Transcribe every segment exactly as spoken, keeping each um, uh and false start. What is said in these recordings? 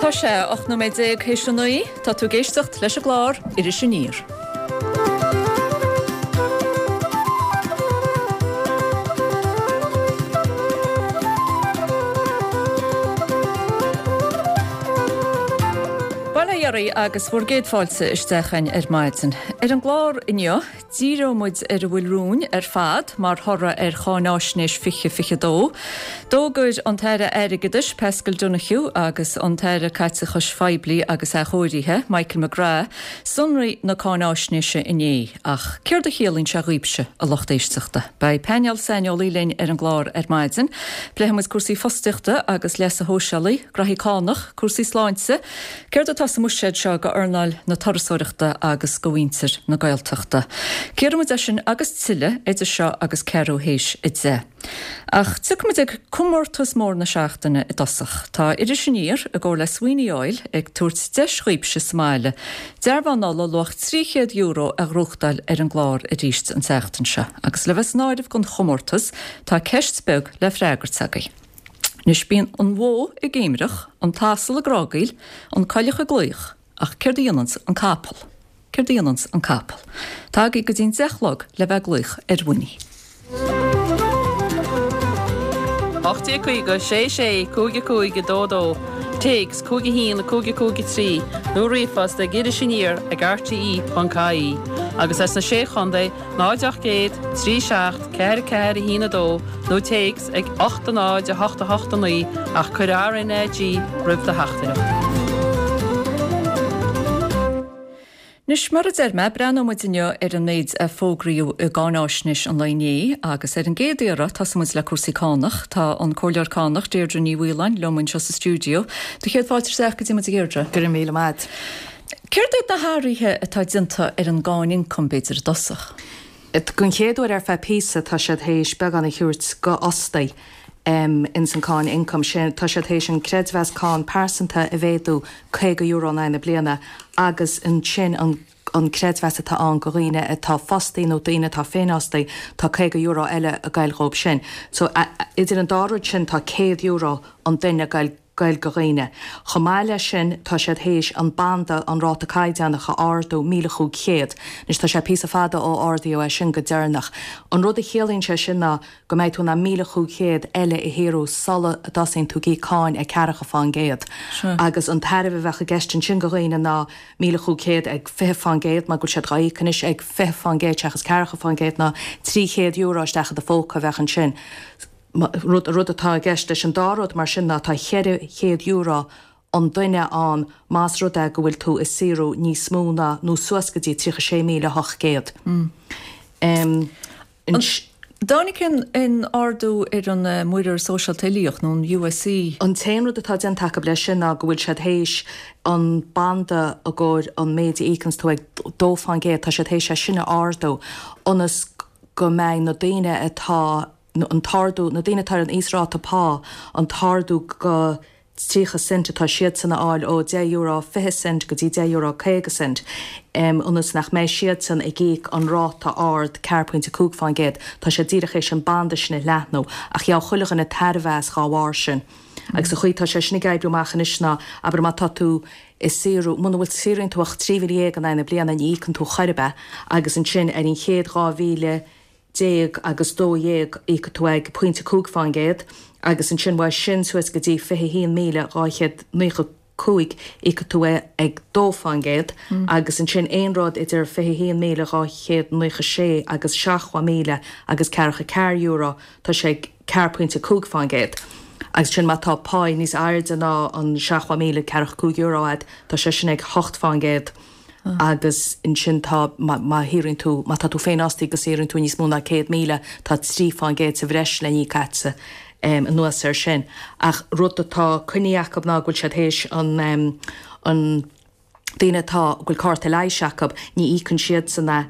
Tá sé ocht nóiméad déag théis a naoi, tá tú ag éisteacht leis an gclár Iris Aniar. Bail ó Dhia oraibh agus bhur gcéad fáilte isteach againn ar maidin. Ar an gclár inniu, díreoidh muid ar a bhfuil romhainn ar fad mar thoradh ar Cháináisnéis fiche fiche a dó. D'fhógair an tAire Airgeadais, Paschal Donohoe, agus an tAire Caiteachais Phoiblí agus Athchóirithe, Michael McGrath, sonraí na cáináisnéise inné. Ach céard a chiallaíonn sé dhaoibhse, a lucht éisteachta? Beidh painéal saineolaí linn ar an gclár ar maidin. Pléifidh muid cúrsaí fostaíochta agus leasa shóisialaigh, graithí cánach, cúrsaí sláinte, céard atá sa mbuiséad seo go earnáil na turasóireachta agus go mhuintir na Gaeltachta. Cíorfaidh muid é sin agus tuilleadh idir seo agus ceathrú théis a deich. Ach tiocfaidh muid ag comórtas mór na seachtaine i dtosach. Tá Iris Aniar, i gcomhar le Sweeney Oil, ag tabhairt deis dhaoibhse sa mbaile dearbhán ola luach trí chéad euro a ghnóthachtáil ar an gclár arís an tseachtain seo. Agus le bheith san áireamh don chomórtas, tá ceist beag le freagairt agaibh. Anois bíonn an bhó ag géimreach, an t-asal ag grágaíl, an coileach ag glaoch, ach céard a dhéananns an capall? Céard a dhéananns an capall? Tá agaibh go dtí'n deich a chlog le bheith ag glaoch ar Winnie. ocht déag caoga sé sé cúig a cúig a dó dó, téacs cúig a haon a cúig a cúig a trí nó ríomhphost ag Iris Aniar ag rte ponc ie agus as na Sé Chontae náid ocht gcéad trí seacht ceathair ceathair a haon a dó nó téacs ag ocht a náid a hocht a hocht a naoi ach cuir R N A G roimh do theachtaireacht. Anois, mar a deir mé, breathnóidh muid inniu ar an méid a fógraíodh i gcáináisnéis an lae inné agus ar an gcéad iarraidh tosóidh muid le cúrsaí cánach. Tá an Comhairleoir Cánach, Deirdre Ní Mhaoláin, liom anseo sa stiúideo. Do chéad fáilte isteach go dtí muid, a Dheirdre. Go raibh míle maith. Céard iad na hathruithe atá déanta ar an gcáin ioncaim, b'fhéidir, i dtosach? Don chéad uair ar feadh píosa tá siad théis beagán a thabhairt go fhostaí ins an cáin ioncaim sin. Tá siad théis an creidmheas cáin pearsanta a mhéadú caoga euro in aghaidh na bliana agus ansin an an creidmheas atá ann go dhaoine atá fostaí nó daoine atá féinfhostaí, tá caoga euro eile ag goil dhóibh sin. So idir an dá rud sin tá céad euro an duine ag goil goil go dhaoine. Chomh maith leis sin tá siad théis an banda, an ráta caighdeánach a ardú míle chúig chéad. Anois tá sé píosa fada ó ardaíodh é sin go deireanach. An rud a chiallaíonn sé sin ná go mbeidh tú in ann míle chúig chéad eile a shaothrú sula dtosaíonn tú ag íoc cáin ag ceathracha fán gcéad. Agus an tairbhe a bheadh i gceist ansin go dhaoine ná míle chúig chéad ag fiche fán gcéad mar go bhfuil siad dhá íoc anois ag fiche fán gcéad seachas ceathracha fán gcéad ná trí chéad euro isteach i do phóca a bheadh ansin. Rud rud atá i gceist leis an dá rud mar sin ná tá cheithre chéad euro an duine ann más rud é go bhfuil tú ag saothrú níos mó ná nó suas go dtí tríocha sé míle ocht gcéad. An dtáinig aon ardú ar an muirear sóisialta uilíoch nó an USC? An t-aon rud atá déanta acu leis sin ná go bhfuil siad théis an banda i gcomhair an méid a íocanns tú ag dó fán gcéad, tá siad théis é sin a ardú ionas go mbeidh na daoine atá an t-ardú, na daoine atá ar an íosráta pá, an t-ardú go tríocha cent atá siadsan a fháil ó deich euro fiche cent go dtí deich euro caoga cent, ionas nach mbeidh siadsan ag íoc an ráta ard ceathair pointe cúig fán gcéad. Tá siad díreach théis an banda sin a leathnú, ach gheobhaidh chuile dhuine tairbhe as dhá bharr sin. Agus an chaoi atá sé sin ag oibriú amach anois ná, abair má tá tú ag saothrú, muna bhfuil saothraíonn tú ach trí mhíle dhéag in aghaidh na bliana ní íocann tú chor ar bith agus ansin ar an chéad dhá mhíle déag agus dó dhéag íocfaidh tú ag pointe cúig fán gcéad agus ansin uaidh sin suas go dtí fiche haon míle dhá chéad naocha cúig íocfaidh tú é ag dó fán gcéad agus ansin aon rud idir fiche haon míle dhá chéad naocha sé agus seachtó míle agus ceathracha ceathair euro tá sé ag ceathair pointe cúig fán gcéad agus sin má tá pá níos airde ná an seachtó míle ceathracha cúig euro agat tá sé sin ag hocht fán gcéad. Agus ansin tá, má shaothraíonn tú, má tá tú féinfhostaí agus saothraíonn tú níos mó ná céad míle, tá trí fán gcéad sa bhreis le n-íoc agatsa anuas air sin. Ach rud atá coinnithe acu ná go bhfuil siad théis an, an daoine atá, go bhfuil cárta leighis acu, ní íocann siadsan é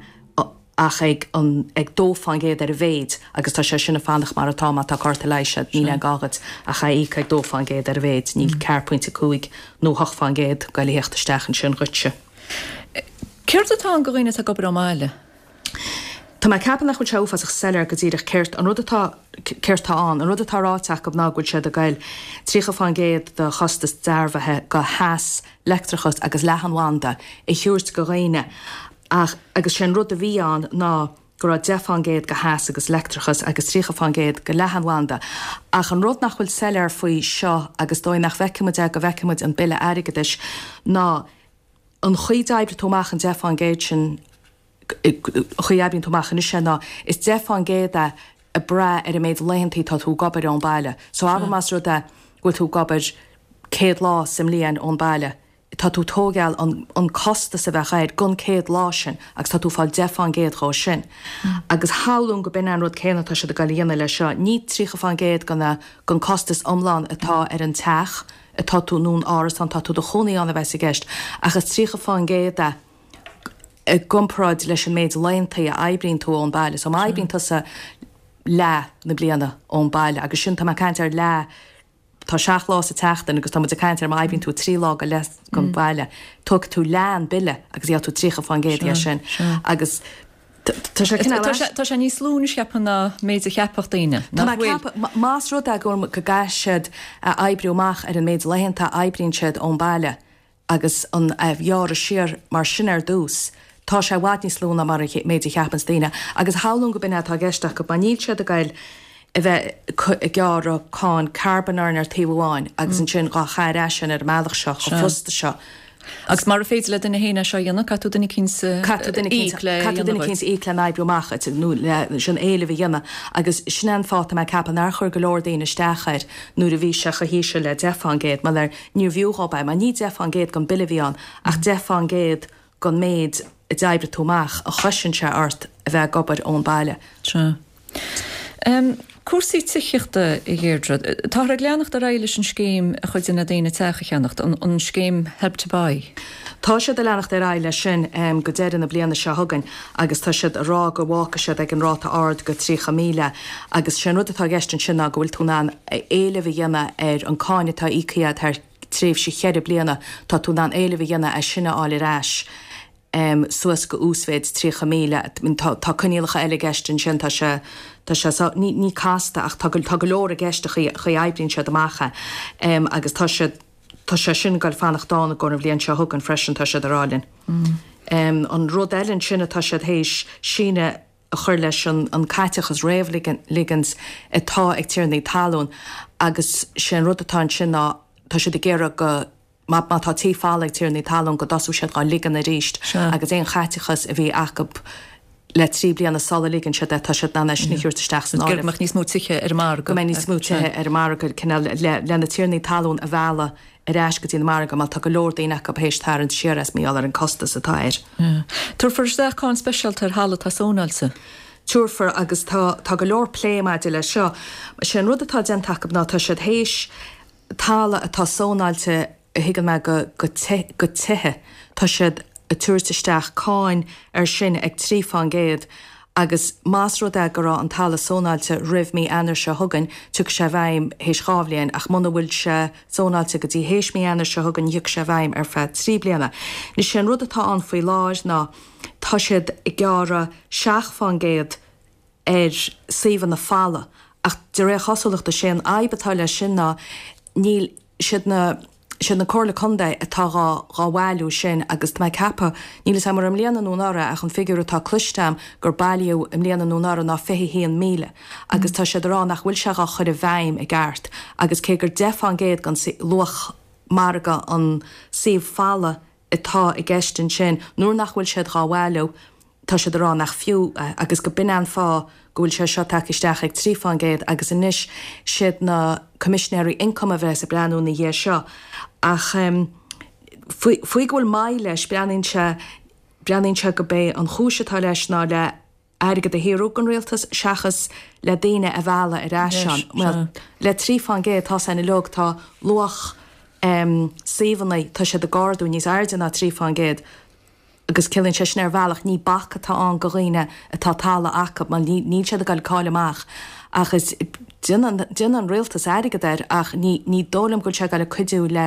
ach ag an, ag dó fán gcéad ar a mhéid agus tá sé sin ag fanacht mar atá má tá cárta leighis agat, níl aon ghá dhuit ach é a íoc ag dó fán gcéad ar a mhéid, níl ceathair pointe cúig nó hocht fán gcéad ag goil a theacht isteach ansin dhuitse. Céard atá ann go dhaoine atá ag obair ón mbaile? Tá mé ag ceapadh nach bhfuil sé uafásach soiléir go díreach céard an rud atá céard tá ann. An rud atá ráite acu ná go bhfuil siad ag goil tríocha fán gcéad de chostas dearbhaithe go theas, leictreachas agus leathanbhanda a thabhairt go dhaoine ach agus sé an rud a bhí ann ná go raibh deich fán gcéad go theas agus leictreachas agus tríocha fán gcéad go leathanbhanda. Ach an rud nach bhfuil soiléir faoi seo agus dóigh nach bhfeicfidh muid é go bhfeicfidh muid an Bille Airgeadais ná an chaoi d'oibrigh tú amach an deich fán gcéad sin chaoi a oibríonn tú amach anois é ná is deich fán gcéad é ag brath ar an méid laethantaí tá tú ag obair ón baile. So abair más rud é go bhfuil tú ag obair céad lá sa mbliain ón baile, tá tú tógáil an, an costas a bheadh air gon céad lá sin agus tá tú fáil deich fán gcéad dhó sin. Agus shamhlóinn go b'in an rud céanna atá siad ag goil a dhéanamh leis seo, ní tríocha fán gcéad gon, gon costas iomlán atá ar an teach atá tú nó an árasán tá tú do chónaí ann a bheas i gceist, ach is tríocha fán gcéad é i gcomparáid leis an méid laethantaí a oibríonn tú ón baile. So má oibríonn tusa leath na bliana ón baile agus sin tá mé ag caint ar leath tá seacht lá sa tseachtain agus tá muid ag caint ar má oibríonn tú trí lá go leith gon baile, tógfaidh tú leath an bille agus gheobhaidh tú tríocha fán gcéad dhe sin. Agus tá sé cineál Tá sé- tá sé níos lú anois cheapfainn ná méid a cheapfadh daoine. Tá Nach mé bhfuil? ceapadh, má- más rud é go go gcaithfidh siad a oibriú amach ar an méid laethanta a oibríonn siad ón baile agus an a ghearradh siar mar sin ar dtús, tá sé i bhfad níos lú ná mar a méid a cheapanns daoine. Agus shamhlóinn go b'in é atá i gceist acu, mar níl siad ag goil a bheith ag gearradh cáin carbón orainn ar taobh amháin agus ansin dhá chur ar ais ar an mbealach seo, chomh fusta seo. Agus mara féidir le duine féin é seo a dhéanamh, caithfidh tú duine eicínt Caithfidh tú duine íoc le caithfidh tú duine dhéanamh eicínt íoc le n-oibriú amach nó le sin éileamh a dhéanamh. Agus sin é an fáth tá mé ag ceapadh nár chuir go leor daoine isteach air nuair a bhí sé chomh híseal le deich fán gcéad, mar ar níorbh fhiú dhóibh é, mar ní deich fán gcéad gon bille a bhí ann ach deich fán gcéad gon méid a d'oibrigh tú amach a chosain sé ort a bheith ag obair ón baile. Sea. Um, cúrsaí tithíochta a Dheirdre, táthar ag leanacht ar aghaidh leis an scéim a chuidíonn le daoine teach a cheannacht, an, an scéim Help to Buy. Tá siad ag leanacht ar aghaidh leis sin um, go deireadh na bliana seo chugainn agus tá siad ag rá go bhfágfaidh siad ag an ráta ard go tríocha míle agus sé an rud atá i gceist ansin ná go bhfuil tú in ann éileamh a dhéanamh ar an cáin atá íoctha thar tréimhse cheithre bliana, tá tú in ann éileamh a dhéanamh é sin a fháil ar ais. Um, suas go uasmhéid tríocha míle. Tá, tá coinníollacha eile i gceist ansin tá sé tá sé so, ní, ní casta ach tá go, tá go leor i gceist a chaoi chaoi oibríonn siad amach é. Um, agus tá sé tá sé sin ag fanacht ann go an bhliain seo chugainn freisin tá siad ag rá linn. Mm. Um, an rud eile ansin atá siad théis síneadh a chur leis an, an caiteachas réamhligint atá ag tiarnaí talún agus sé an rud atá ansin ná tá siad ag iarraidh go má má tá tí folamh ag tiarnaí talún go dtosóidh siad dhá ligean arís agus aon chaiteachas a bhí acu le trí bliana sula ligean siad é tá siad in ann é sin a thabhairt isteach san Go áireamh. mbeadh níos mó tithe ar an margadh. Go mbeidh níos mó tithe ar an margadh cineál le, le na tiarnaí talún a mhealladh ar ais go dtí an margadh mar tá go leor daoine acu théis tarraingt siar as mar gheall ar an costas atá air. Yeah. Tabharfar isteach cáin speisialta ar thalamh atá sónáilte. Tabharfar agus tá, tá go leor plé maidir leis seo. Sé an rud atá déanta acu ná tá siad théis talamh atá sónáilte a thuigeann mé go, go, te, go tithe. Tá siad ag tabhairt isteach cáin ar sin ag trí fán gcéad agus más rud é go raibh an talamh sónáilte roimh mí Eanáir seo chugainn, tiocfaidh sé i bhfeidhm théis dhá bhliain ach muna bhfuil sé sónáilte go dtí théis mí Eanáir seo chugainn thiocfaidh sé i bhfeidhm ar feadh trí bliana. Anois sé an rud atá ann faoi láthair ná tá siad ag gearradh seacht fán gcéad ar suíomhanna folamh ach de réir cosúlachta sé an fhadhb atá leis sin ná níl siad na siad na Comhairle Contae atá dhá dhá bhailiú sin agus tá mé ag ceapadh níl a fhios agam ar i mbliana nó anuraidh ach an figiúr atá cloiste agam gur bailíodh i mbliana nó anuraidh ná fiche haon míle agus tá siad ag rá nach bhfuil sé dhá chur i bhfeidhm i gceart agus cé gur deich fán gcéad den luach margaidh an suíomh folamh atá i gceist ansin nuair nach bhfuil siad dhá bhailiú tá siad ag rá nach fiú é agus go b'in an fáth go bhfuil sé seo tagtha isteach ag trí fán gcéad agus anois siad na coimisinéirí ioncaim a bheas ag breathnú ina dhiaidh seo ach um, faoi, faoi go bhfuil maith leis breathnaíonn sé breathnaíonn sé go bé an chúis atá leis ná le airgead a shaothrú don rialtas seachas le daoine a mhealladh ar ais ann. Well, le trí fán gcéad tá san uilig tá luach um, suíomhanna tá siad ag ardú níos airde ná trí fán gcéad agus ciallaíonn sé sin ar bhealach ní bac atá ann go dhaoine atá talamh acu mar ní níl siad ag dul cáil amach ach is déanann déanann an rialtas airgead air ach ní ní dóigh liom go bhfuil sé ag dul ag cuidiú le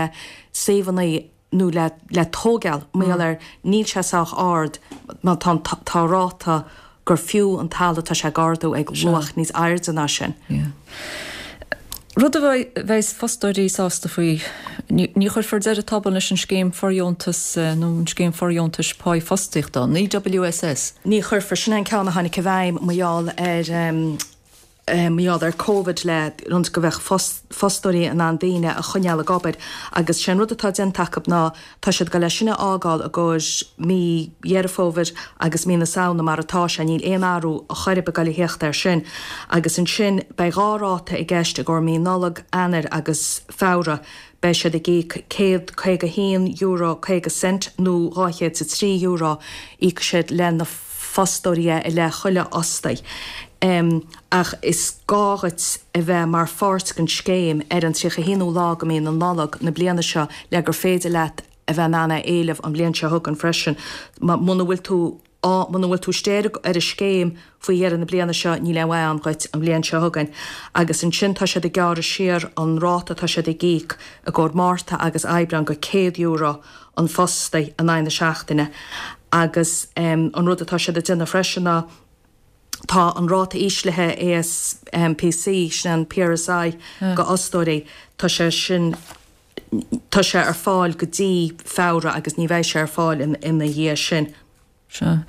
suíomhanna nó le le tógáil mar gheall ar níl sé sách ard má tá tá ráta gur fiú an talamh tá sé ag ardú ag luach níos airde ná sin. Yeah. Rud a bheas fostóirí sásta faoi, ní chuirfear deireadh tobann leis an scéim fóirdheontas nó an scéim fóirdheontais páí fostaíochta, an EWSS. Ní chuirfear sin an ceann a tháinig i bhfeidhm mar gheall ar mar gheall ar Covid le rud go bheadh fostóirí in ann daoine a choinneáil ag obair agus sé an rud atá déanta acu ná tá siad ag goil leis sin a fhágáil i gcomhair mí Dheireadh Fómhair agus mí na Samhna mar atá sé, níl aon athrú ar chor ar bith ag goil a theacht air sin. Agus ansin beidh dhá ráta i gceist i gcomhair mí Nollag, Eanáir agus Feabhra, beidh siad ag íoc céad caoga haon euro caoga cent nó dhá chéad is a trí euro, íocfaidh siad le na fostóirí é i leith chuile fhostaí. Ach is gá dhuit a bheith mar pháirt den scéim ar an tríocha haonú lá de mhí na Nollag na bliana seo le gur féidir leat a bheith in ann é a éileamh an bhliain seo chugainn freisin. Muna bhfuil tú muna bhfuil tú istigh ar an scéim faoi dheireadh na bliana seo níl aon mhaith ann dhuit an bhliain seo chugainn. Agus ansin tá siad ag gearradh siar an ráta atá siad ag íoc i gcomhair Márta agus Aibreán go céad euro an fostaí in aghaidh na seachtaine. Agus an rud atá siad ag déanamh freisin ná tá an ráta íslithe ÁSPC, sin an PRSI go fhostóirí, tá sé sin tá sé ar fáil go dtí Feabhra agus ní bheidh sé ar fáil ina dhiaidh sin. Sea.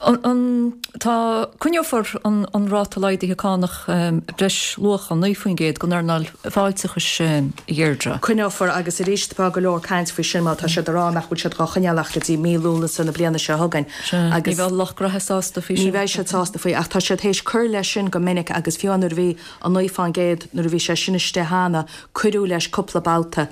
An, tá, coinneofar an, an ráta laghdaithe cánach breisluacha, naoi faoin gcéad, don earnáil fáilteachais, a Dheirdre? Coinneofar agus arís tá go leor caint faoi sin mar tá siad ag rá nach bhfuil siad dhá choinneáil ach go dtí mí Lúnasa na bliana seo chugainn. Sea. Ní bheidh lucht graithe sásta faoi sin. Ní bheidh siad sásta faoi ach tá siad théis cur leis sin go minic agus fiú nuair a bhí an naoi fán gcéad nuair a bhí sé sin istigh cheana cuireadh leis cúpla babhta.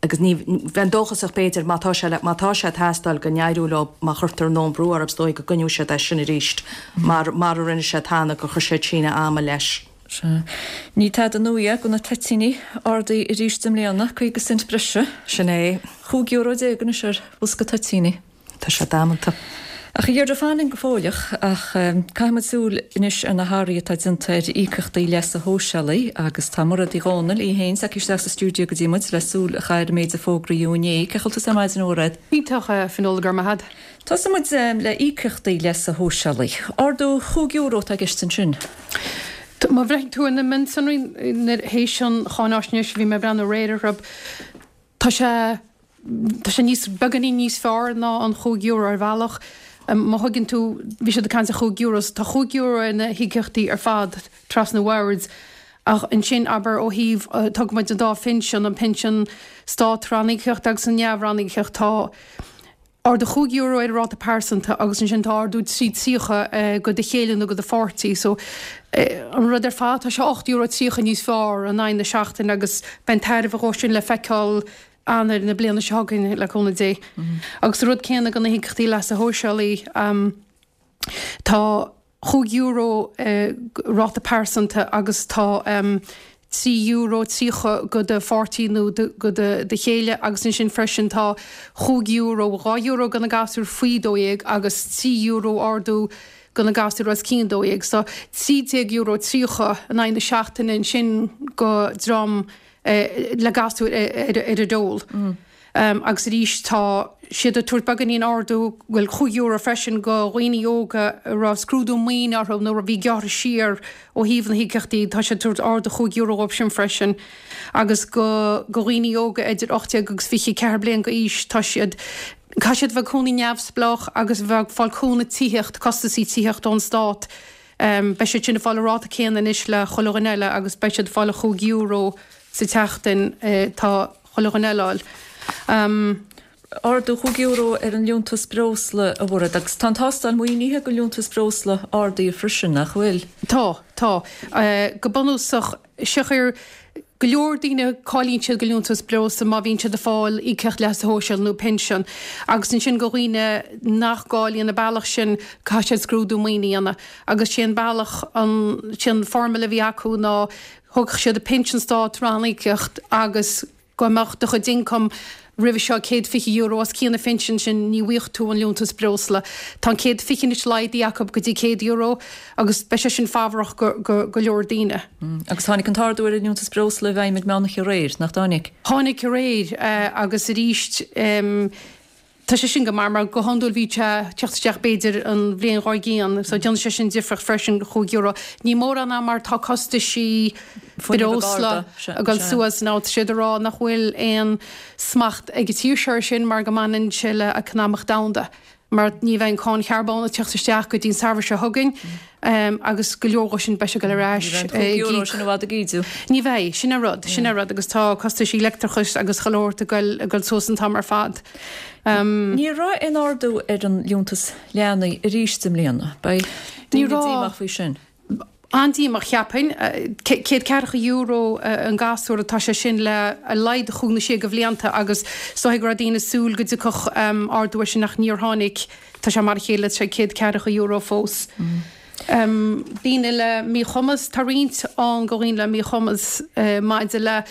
Agus ní, bheinn dóchasach b'fhéidir, má tá sé le, má tá sé ag teastáil go n-éireoidh leo, má chuirtear a ndóthain brú orthu is dóigh go gcoinneoidh siad é sin arís mar, mar a rinne siad cheana, gur chuir siad síneadh ama leis. Sea. Ní tada nua é go na toitíní, ardaithe arís i mbliana, caoga cent breise. Sin é. Chúig euro déag anois ar bhosca toitíní. Tá sé damanta. Ach a Dheirdre, fan linn go fóilleach, ach caithfidh muid súil anois ar na hathruithe atá déanta ar íocaíochtaí leasa shóisialaigh agus tá Mairéad Uí Dhomhnaill í féin tagtha isteach sa stiúideo go dtí muid le súil a chaitheamh ar an méid a fógraíodh inné. Cén chaoi a bhfuil tusa ar maidin, a Mhairéad? Iontach, a Fionnuala, go raibh maith agat. Tosóidh muid le íocaíochtaí leasa shóisialaigh. Ardú chúig euro atá i gceist ansin. Má bhreathnaíonn tú ar na mionsonraí théis an cháináisnéis, bhí mé ag breathnú aréir orthu, tá sé Tá sé níos, beagáinín níos fearr ná an chúig euro ar bhealach. Má thuigeann tú, bhí siad ag caint ar chúig euro, so tá chúig euro ar na híocaíochtaí ar fad trasna an bhoird. Ach ansin, abair, ó thaobh, tógfaidh muid an dá phinsean, an pinsean stát-ranníocaíocht agus an neamh-ranníocaíocht, tá ardú chúig euro ar an ráta pearsanta agus ansin tá ardú trí tríocha go do chéile nó go do pháirtí. So, an rud ar fad, tá sé ocht euro tríocha níos fearr in aghaidh na seachtaine agus beidh an tairbhe dhó sin le feiceáil Eanáir na bliana seo chugainn, le cúnamh Dé. Agus an rud céanna do na híocaíochtaí leasa shóisialaigh, tá chúig euro ráta pearsanta agus tá trí euro tríocha go do pháirtí nó go do chéile agus ansin freisin tá chúig euro, dhá euro do na gasúir faoi dó dhéag agus trí euro ardú do na gasúir os cionn dó dhéag. So trí déag euro tríocha in aghaidh na seachtaine ansin go dream le gasúir ar an dól. Agus arís tá siad ag tabhairt beagáinín ardú, bhuel chúig euro freisin go dhaoine óga a raibh scrúdú maoine orthu nó a bhí gearrtha siar ó thaobh na híocaíochtaí, tá siad ag tabhairt ardú chúig euro dhóibh sin freisin. Agus go go dhaoine óga idir ocht déag agus fiche ceathair bliain d'aois tá siad, caithfidh siad a bheith ag cónaí neamhspleách agus a bheith ag fáil cúnamh tithíocht, costasaí tithíocht ón stát. Beidh siad sin ag fáil an ráta céanna anois le chuile dhuine eile agus beidh siad ag fáil an chúig euro sa tseachtain tá chuile dhuine eile a fháil. Ardú chúig euro ar an liúntas breosla, a Mhairéad, agus tá an tástáil maoinithe don liúntas breosla ardaithe freisin, nach bhfuil? Tá, tá. Go bunúsach, siocair go leor daoine cáilíonn siad do liúntas breosla má bhíonn siad ag fáil íocaíocht leasa shóisialaigh nó pinsean agus ansin do dhaoine nach gcáilíonn an bealach sin caithfidh siad scrúdú maoine a dhéanamh agus sé an bealach an sé an formula a bhí acu ná thógfadh siad an pinsean stát ranníocaíocht agus go mbeadh do chuid ioncam roimhe seo céad fiche euro os cionn an phinsin sin ní bhfaigheadh tú an liúntas breosla. Tá an céad fiche anois laghdaithe acu go dtí céad euro agus beidh sé sin fabhrach go go leor daoine. Agus tháinig an t-ardú ar an liúntas breosla i bhfeidhm ag meán oíche aréir, nach dtáinig? Tháinig aréir agus arís Tá sé sin go maith mar go hiondúil bhí sé teacht isteach b'fhéidir an bhliain dhár gcionn, so déanann sé sin difríocht freisin chúig euro. Ní mórán é mar tá costaisí breosla ag dul suas now tá siad ag rá nach bhfuil aon smacht ag an tír seo air sin mar go mbaineann sé le eacnamaíocht domhanda. Mar ní bheidh an cáin charbóin ag teacht isteach go dtí an samhradh seo chugainn agus go leor dhó sin beidh sé ag dul ar ais. Ní bheidh an cúig euro sin i bhfad ag ídiú. Ní bheidh, sin an rud, sin an rud agus tá costaisí leictreachais agus chuile shórt ag dul ag dul suas an t-am ar fad. Ní raibh aon ardú ar an liúntas leanaí arís i mbliana. Beidh daoine díomách faoi sin. An-díomách, cheapfainn. Céad ceathracha euro an gasúr atá sé sin le a laghad chúig nó sé de bhlianta agus is dóigh go raibh daoine ag súil go dtiocfadh ardú air sin ach níor tháinig. Tá sé mar a chéile, tá sé céad ceathracha euro fós. Daoine le míchumas, tá roinnt ann do dhaoine le míchumas maidir le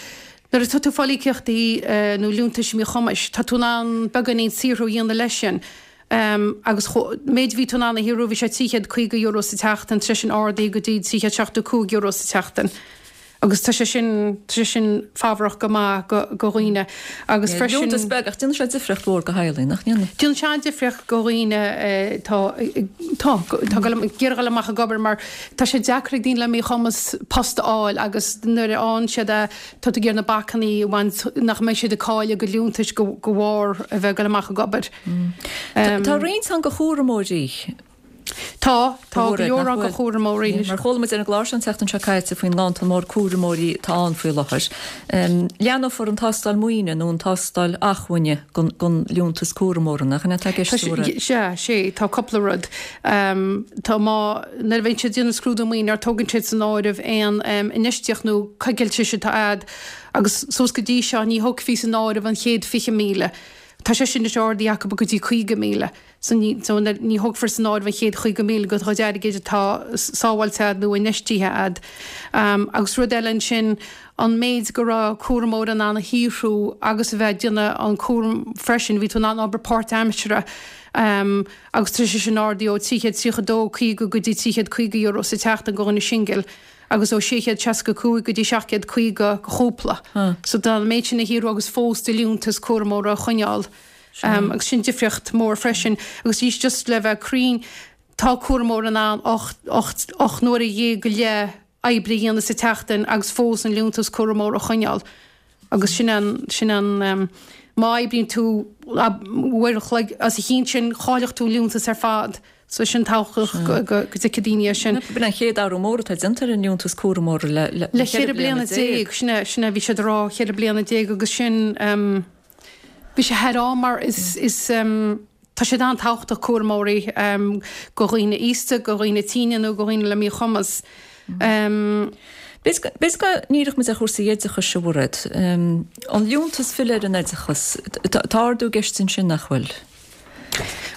nuair atá tú ag fáil íocaíochtaí nó liúntais míchumais, tá tú in ann beagáinín saothrú a dhéanamh leis sin. Agus méid a bhí tú in ann a shaothrú, bhí sé trí chéad caoga euro sa tseachtain, tar éis sin ardaithe go dtí trí chéad seachtó cúig euro sa tseachtain. Agus tá sé sin, tá sé sin fabhrach go maith go, go dhaoine. Agus freisin. Liúntas beag, ach déanann sé difríocht mhór go theaghlaigh, nach ndéanann? Déanann sé an-difríocht go dhaoine atá, tá, tá ag iarraidh dul amach ag obair mar tá sé deacair ag daoine le míchumas post a fháil agus nuair a fhaigheann siad é, tá tú ag iarraidh na bacannaí a bhaint nach mbeidh siad ag cailleadh a gcuid liúntais de bharr a bheith ag dul amach ag obair. Tá roinnt ann go chúramóirí. Tá, tá go leor ann go chúramóirí. Mar chuala muid ar an gclár seo an tseachtain seo caite faoin nganntan mór cúramóirí atá ann faoi láthair. Leathnófar an tástáil maoine nó an tástáil acmhainne don liúntas cúramóra, nach in é atá i gceist, a Mhairéad? Sea, sea, tá cúpla rud. Tá má, nuair a bhíonn siad ag déanamh scrúdú maoine, ní thógann siad san áireamh aon infheistíocht nó coigiltis atá a'd agus suas go dtí seo ní thógfaí san áireamh an chéad fiche míle. Tá sé sin anois ardaithe acu go dtí caoga míle. So ní, so ní thógfar san áireamh an chéad chaoga míle de do chuid airgid atá sábháilte a'd nó infheistithe a'd. Agus rud eile ansin, an méid go raibh cúramóir in ann a shaothrú agus a bheith ag déanamh an cúram freisin, bhí tú in ann obair páirtaimseartha agus tá sé sin ardaithe ó trí chéad tríocha dó caoga go dtí trí chéad caoga euro sa tseachtain do dhuine singil agus ó sé chéad seasca cúig go dtí seacht gcéad caoga do chúpla. So tá an méid sin a shaothrú agus fós do liúntas cúramóra a choinneáil. Agus sin difríocht mór freisin. Agus arís just le bheith cruinn, tá cúramóir in ann ocht, ocht, ocht n-uaire dhéag go leith oibre a dhéanamh sa tseachtain agus fós an liúntas cúramóra a choinneáil. Agus sin an, sin an, má oibríonn tú uair an chloig os a chionn sin, chaillfeadh tú an liúntas ar fad. So sin tábhachtach go, go, go dtuigfidh daoine é sin. B'in an chéad athrú mór atá déanta ar an liúntas cúramóra le, le, le ceithre bliana déag. Sin é, sin é, bhí siad ag rá cheithre bliana déag agus sin, Bhí sé thar am mar is is tá siad an-tábhachtach cúramóirí go dhaoine aosta, go dhaoine tine nó go dhaoine le míchumas. B'fhéidir go ndíreoidh muid ar chúrsaí oideachais a Mhairéad. An liúntas filleadh ar an oideachas, tá ardú i gceist ansin, nach bhfuil?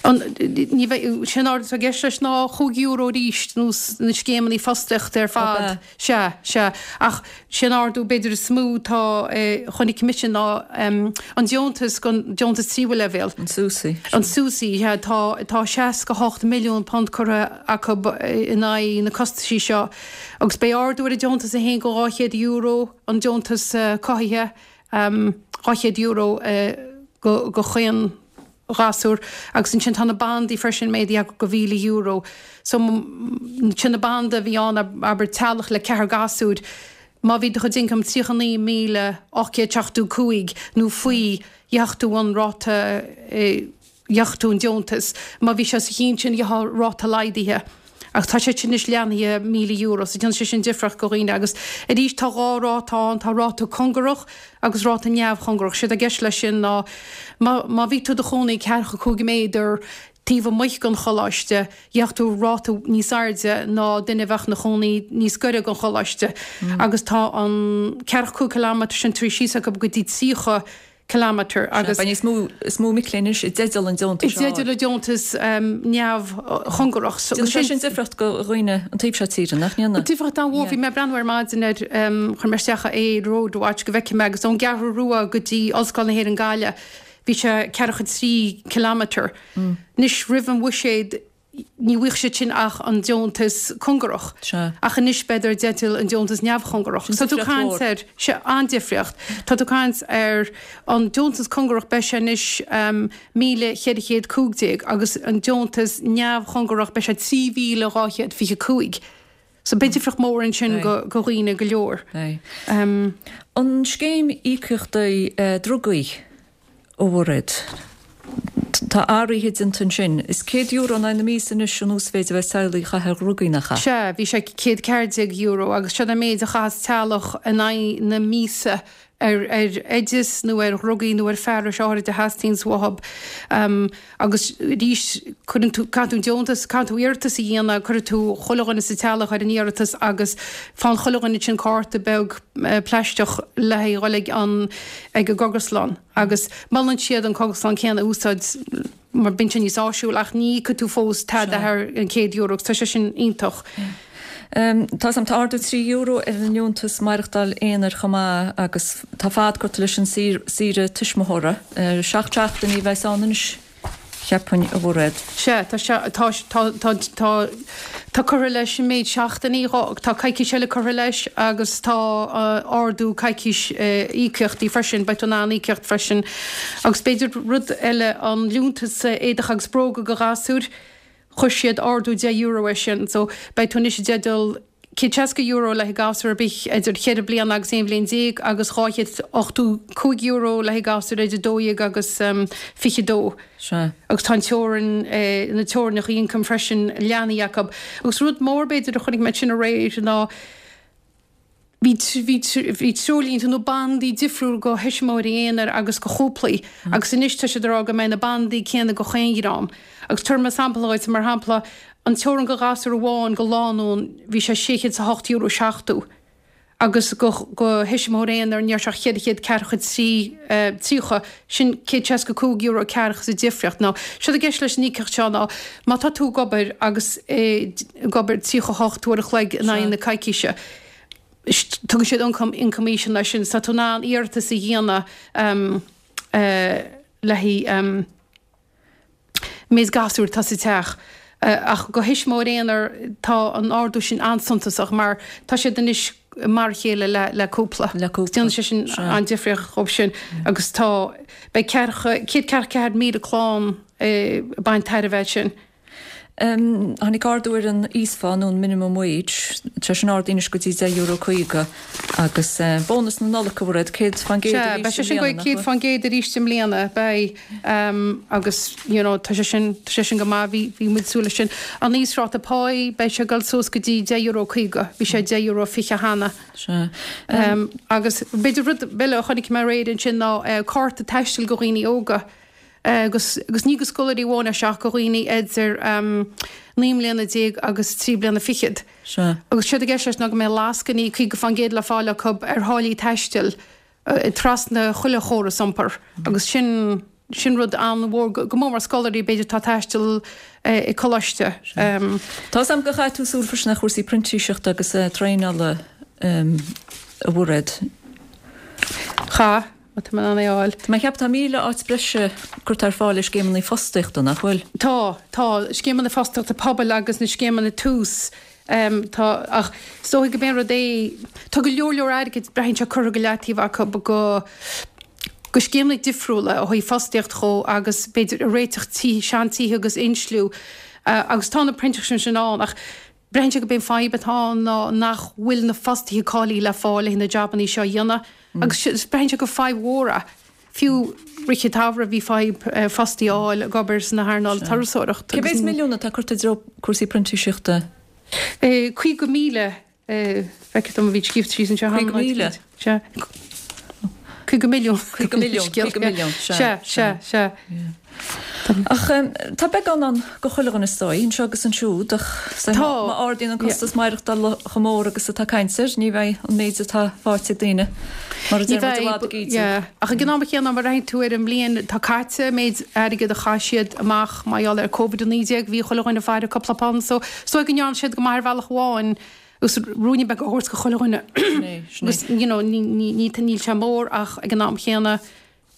An, ní bheidh, sé an ardú atá i gceist leis ná chúig euro arís nó na scéimeanna fostaíochta ar fad. Ab ea? Sea, sea. Ach sé an ardú b'fhéidir is mó atá, chonaic mise ná an deontas don deontas tríú leibhéal. An SUSI. An SUSI, sea. Tá, tá seasca hocht milliún punt curtha acu in aghaidh na costaisí seo agus beidh ardú ar an deontas a haon go dhá chéad euro, an deontas cothaithe, dhá chéad euro go, go chaon ghasúr agus ansin tá na bandaí freisin méadaithe acu go mhíle euro. So sin na banda a bhí ann abair teaghlach le ceathrar gasúir má bhí do chuid income tríocha naoi míle ocht gcéad seachtó cúig nó faoi gheobhadh tú an ráta gheobhadh tú an deontas. Má bhí sé os a chionn sin gheofá ráta laghdaithe. Ach tá sé sin anois leathnaithe míle euro, so déanann sé sin difríocht go dhaoine. Agus arís tá dhá ráta ann, tá ráta cóngarach agus ráta neamhchóngarach. Séard atá i gceist leis sin ná má má bhí tú i do chónaí ceathracha cúig méadar taobh amuigh den choláiste, gheobhadh tú ráta níos airde ná duine a bheadh ina chónaí níos gaire don choláiste. Agus tá an ceathracha cúig kilometre sin tar éis síos acu go dtí tríocha kilometre agus. Beidh níos mó is mó mic léinn anois i dteideal an deontais I dteideal an deontas neamhchóngarach. Déanann sé sin difríocht go dhaoine an taobh seo tíre, nach ndéanann? Difríocht an-mhór. Bhí mé ag breathnú ar maidin ar, chuir mé isteach é Roadwatch go bhfeicfidh mé agus ón gCeathrú Rua go dtí Ollscoil na hÉireann Gaillimh bhí sé ceathracha trí kilometre. Anois roimh an bhuiséad, ní bhfuigheadh siad sin ach an deontas cóngarach. Sea. Ach anois beidh i dteideal an deontas neamhchóngarach. Sin Tá tú difríocht caint mhór. ar sé an-difríocht. Tá tú caint ar an deontas cóngarach beidh sé anois um, míle ceithre chéad cúig déag agus an deontas neamhchóngarach beidh sé trí mhíle dhá chéad fiche cúig. So beidh difríocht mór ansin Aye. go, go dhaoine go leor. Aye. Um, An scéim íocaíochtaí uh, drugaí a Mhairéad. Tá athruithe déanta ansin. Is céad euro in aghaidh na míosa anois an uasmhéid a bheidh teaghlaigh a chaitheamh ar dhrugaí nach ea? Sea, bhí sé céad ceathair déag euro agus seo an méid a chaitheas teaghlach in aghaidh na míosa ar ar oideas nó ar dhrugaí nó ar fearais áirid a theastaíonn uathu. Um, agus arís cuireann tú caithfidh tú deontas, caithfidh tú iarratas a dhéanamh, cuireann tú chuile dhuine sa teaghlach ar an iarratas agus faigheann chuile dhuine sin cárta beag eh, plaisteach le haghaidh dhul ag an ag an gcógaslann. Agus molann siad an cógaslann céanna a úsáid mar bíonn sé níos áisiúil ach ní íocfaidh tú fós tada thar an céad euro, agus tá sé sin iontach. Um, tá sam tá ardú trí euro ar an liúntas maireachtáil aonair chomh maith agus tá fad curtha leis an saoire tuismitheora. Uh, seacht seachtainí a bheas ann anois cheapfainn a Mhairéad. Sea, tá sé tá tá tá tá tá curtha leis an méid seachtainí tá coicís eile curtha leis agus tá uh, ardú coicís uh, íocaíochtaí freisin, beidh tú in ann íocaíocht freisin. Agus b'fhéidir rud eile an liúntas éadach agus bróga go ghasúir, chuir siad ardú deich euro air sin, so beidh tú anois i dteideal céad seasca euro le haghaidh gasúr ar bith idir cheithre bliana agus aon bhliain déag agus dhá chéad ochtó cúig euro le haghaidh gasúr idir dó dhéag agus um, fiche dó. Sea. Agus tá an teorainn eh, na teorainneacha ioncaim freisin leathnaithe acu. Agus rud mór b'fhéidir a chonaic mé sin aréir ná bhí bhí bhí treoirlínte nó bandaí difriúil go thuismitheoirí aonair agus go chúplaí, agus anois tá siad ag rá go mbeidh na bandaí céanna go chaon dream. Agus tabharfaidh mé sampla dhuit mar shampla an teorainn go ghasúr amháin go lánúin bhí sé sé chéad is a hocht euro seachtó. Agus go go thuismitheoir aonair ní raibh sé ach ceithre chéad ceathracha trí eh, tríocha sin céad seasca cúig euro ceathracha sa difríocht. Now séard atá i gceist leis an íocaíocht seo ná má tá tú ag obair agus eh, ag obair tríocha hocht uair a chloig in aghaidh na coicíse. Tugann siad ioncam ioncam íseal leis sin, tá tú in ann iarratas a dhéanamh um, uh, le haghaidh um, méid gasúr atá sa teach. Uh, ach go thuismitheoir aonair tá an ardú sin an-suntasach mar tá siad anois mar a chéile le, le cúpla. Le cúpla. Déanann sé sin Sea. an difríocht chomh sin agus tá beidh ceathracha céad ceathracha ceathair míle clann eh, baint tairbhe sin. Um, tháinig ardú ar an íosphá nó an minimum wage, tá sin ardaithe anois go dtí deich euro caoga agus uh, bónas na Nollag a Mhairéad céad faoin gcéad Sea, beidh sé sin go céad faoin gcéad arís i mbliana beidh um, agus you know, tá sé sin tá sé sin go maith bhí bhí muid súil leis sin. An íosráta páí beidh sé ag dul suas go dtí deich euro caoga, bhí sé deich euro fiche cheana. Sea. Um, agus b'fhéidir rud eile a chonaic mé aréir ansin ná uh, cárta taistil go dhaoine óga. Agus, agus ní go scoláirí amháin ach go dhaoine idir um, naoi mbliana déag agus trí bliana fichead. Sea. Agus séard atá i gceist leis ná go mbeidh lascainí caoga faoin gcéad le fáil acu ar tháillí taistil uh, trasna chuile chóras iompair. Agus sin sin rud an-mhór go go mór mar scoláirí b'fhéidir tá taisteal uh, i coláiste. Um, Tá am go chaith tú súil freisin ar chúrsaí printíseachta agus uh, traenála um, a Mhairéad. Cha, tá mé an fháil. Tá mé cheap tá míle áit breise curtha ar fáil i scéimeanna fostaíochta nach bhfuil. Tá tá scéimeanna fostaíochta pobail agus na scéimeanna tús. Um, tá ach is dóigh go mb'in rud é tá go leor leor airgid braitheann sé curtha go leataobh acu go go scéimeanna difriúla ó thaobh fostaíocht dhó agus b'fhéidir réiteach tí seantithe agus insliú uh, agus tá na printíseachtaí sin ann ach braitheann sé go b'in fadhb atá ná nach bhfuil na fostaithe cáilithe le fáil na jabanna seo a dhéanamh agus braitheann sé go fadhb mhór é. Fiú rith an tsamhraidh bhí fadhb uh, fostaí a fháil ag obair sna hearnáil turasóireacht. Cé mhéad milliún atá curtha i dtreo cúrsaí printíseachta? Eh, Caoga míle feictear dom bhí scríofa síos anseo Caoga míle? Sea. Caoga milliún. Caoga milliún, caoga milliún, Sea, sea, sea. Ach um, tá beagán ann go chuile dhuine is dóigh, anseo agus ansiúd, ach Tá. má ardaíonn an costas maireachtála chomh mór agus atá caint air, ní bheidh an méid atá faighte ag daoine mar a Ní deir muid i bhfad ag bheidh, ídiú. yeah. Ach ag an am chéanna mar aon tú ar an mbliain tá caite méid airgead a chaith siad amach mar gheall ar Covid a naoi déag bhí chuile dhuine ag faire cúpla punt so so go ndearna siad go maith ar bhealach amháin agus ruainne beag a thabhairt go chuile dhuine. Sin é, sin é. Agus you know, ní ní ní níl sé mór ach ag an am chéanna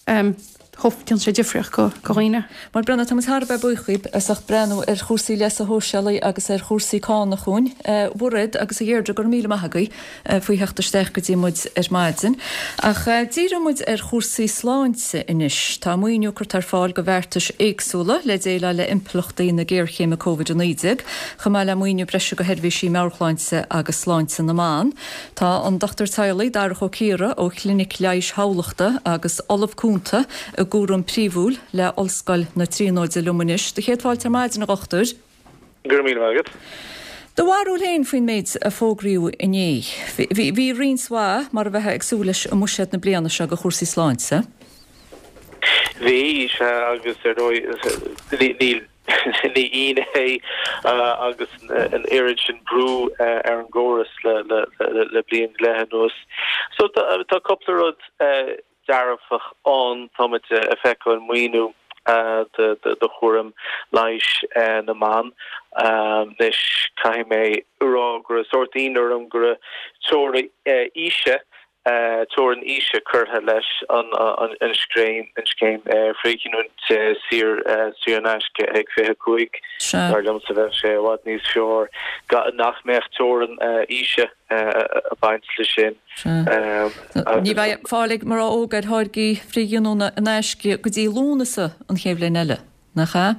um, Déanann sé difríocht go go dhaoine. Bhuel Brenna, tá muid thar a bheith buíoch díbh as ucht breathnú ar chúrsaí leasa shóisialaigh agus ar chúrsaí cánach dhúinn. A Mhairéad agus a Dheirdre, go raibh míle maith agaibh faoi theacht isteach go dtí muid ar maidin. Ach díreoidh muid ar chúrsaí sláinte anois. Tá maoiniú curtha ar fáil do bheartais éagsúla le déileáil le impleachtaí na géarchéime Covid a naoi déag, chomh maith le maoiniú breise do sheirbhísí meabhairshláinte agus sláinte na mban. Tá an Dochtúir Teaghlaigh Darach Ó Ciardha ó Chlinic Leighis Thamhlachta agus Ollamh Cúnta i gcúram príomhúil le Ollscoil na Tríonóide liom anois. Do chéad fáilte ar maidin, a dhochtúir. Go raibh míle maith agat. Do bharúil féin faoin méid a fógraíodh inné. Bhí bhí roinnt mhaith mar a bheifeá ag súil leis i mbuiséad na bliana seo do chúrsaí sláinte. Bhí, sea, agus ar ndóigh níl ní ionadh é agus an oiread sin brú ar an gcóras le le le bliain go leith anuas. So tá cúpla rud dearfach ann. Táimid ag feiceáil maoiniú do chúram leighis na mban. Anois caithfidh mé a rá go raibh sórt ionadh orm go raibh teorainn aoise teorainn aoise curtha leis an scéim an scéim frithghiniúint saor saor in aisce ag fiche cúig. Dar liomsa bheadh sé i bhfad níos fearr nach mbeadh teorainn aoise ag baint leis sin. Ní bheidh fáil ag mná óga ar tháirgí frithghiniúna in aisce go dtí Lúnasa an chéad bhliain eile, nach ea?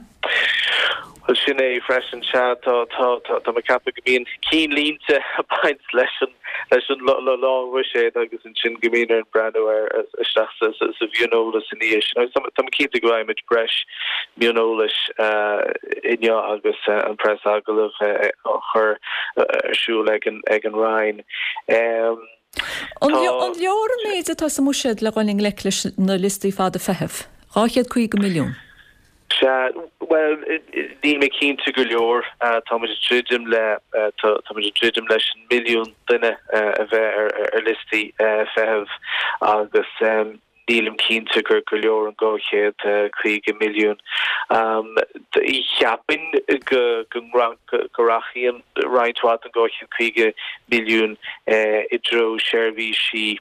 Bhuel sin é freisin, sea, tá tá tá tá mé ag ceapadh go mbíonn cinnlínte ag baint leis an leis an lánbhuiséad agus ansin go mbíonn orainn breathnú ar isteach sa sa sa mhioneolas ina dhiaidh sin. Agus tá mé cinnte go bhfaighimid breis mioneolais inniu agus an preasagallamh á chur ar siúl ag an ag an Roinn. An leor an méid atá sa mbuiséad le dhul i ngleic leis na liostaí fada feithimh? dhá chéad caoga milliún. Sea, bhuel, níl mé cinnte go leor. Táimid ag druidim le, táimid ag druidim leis an milliún duine a bheith ar liostaí feithimh agus nílim cinnte gur go leor an dhá chéad caoga milliún. Cheapfainn go go rachaidh roinnt mhaith den dhá chéad caoga milliún i dtreo seirbhísí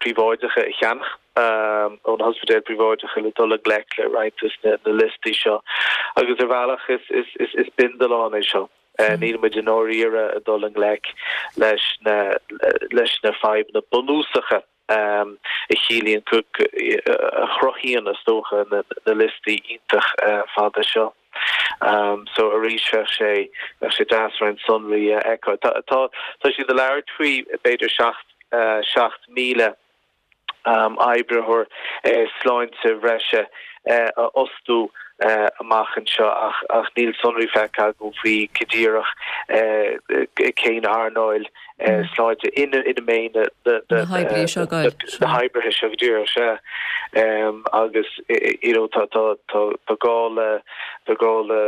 príobháideacha a cheannach ó na hospidéil phríobháideacha le dul i ngleic le roinnt de na liostaí seo. Agus ar bhealach is bindealán é seo. Níl muid i ndáiríre ag dul i ngleic leis na leis na fadhbanna bunúsacha a chiallaíonn, a chruthaíonn is dócha na liostaí iontach fada seo. So arís bheadh sé bheadh sé deas roinnt sonraí a fheiceáil. Tá tá tá siad ag labhairt faoi b'fhéidir seacht seacht míle oibritheoir sláinte bhreise a fhostú amach anseo ach ach níl sonraí feicthe agam faoi go díreach cén earnáil sláinte ina ina mbeidh na na na hoibrithe seo go díreach sea agus you know tá tá tá tá gá le tá gá le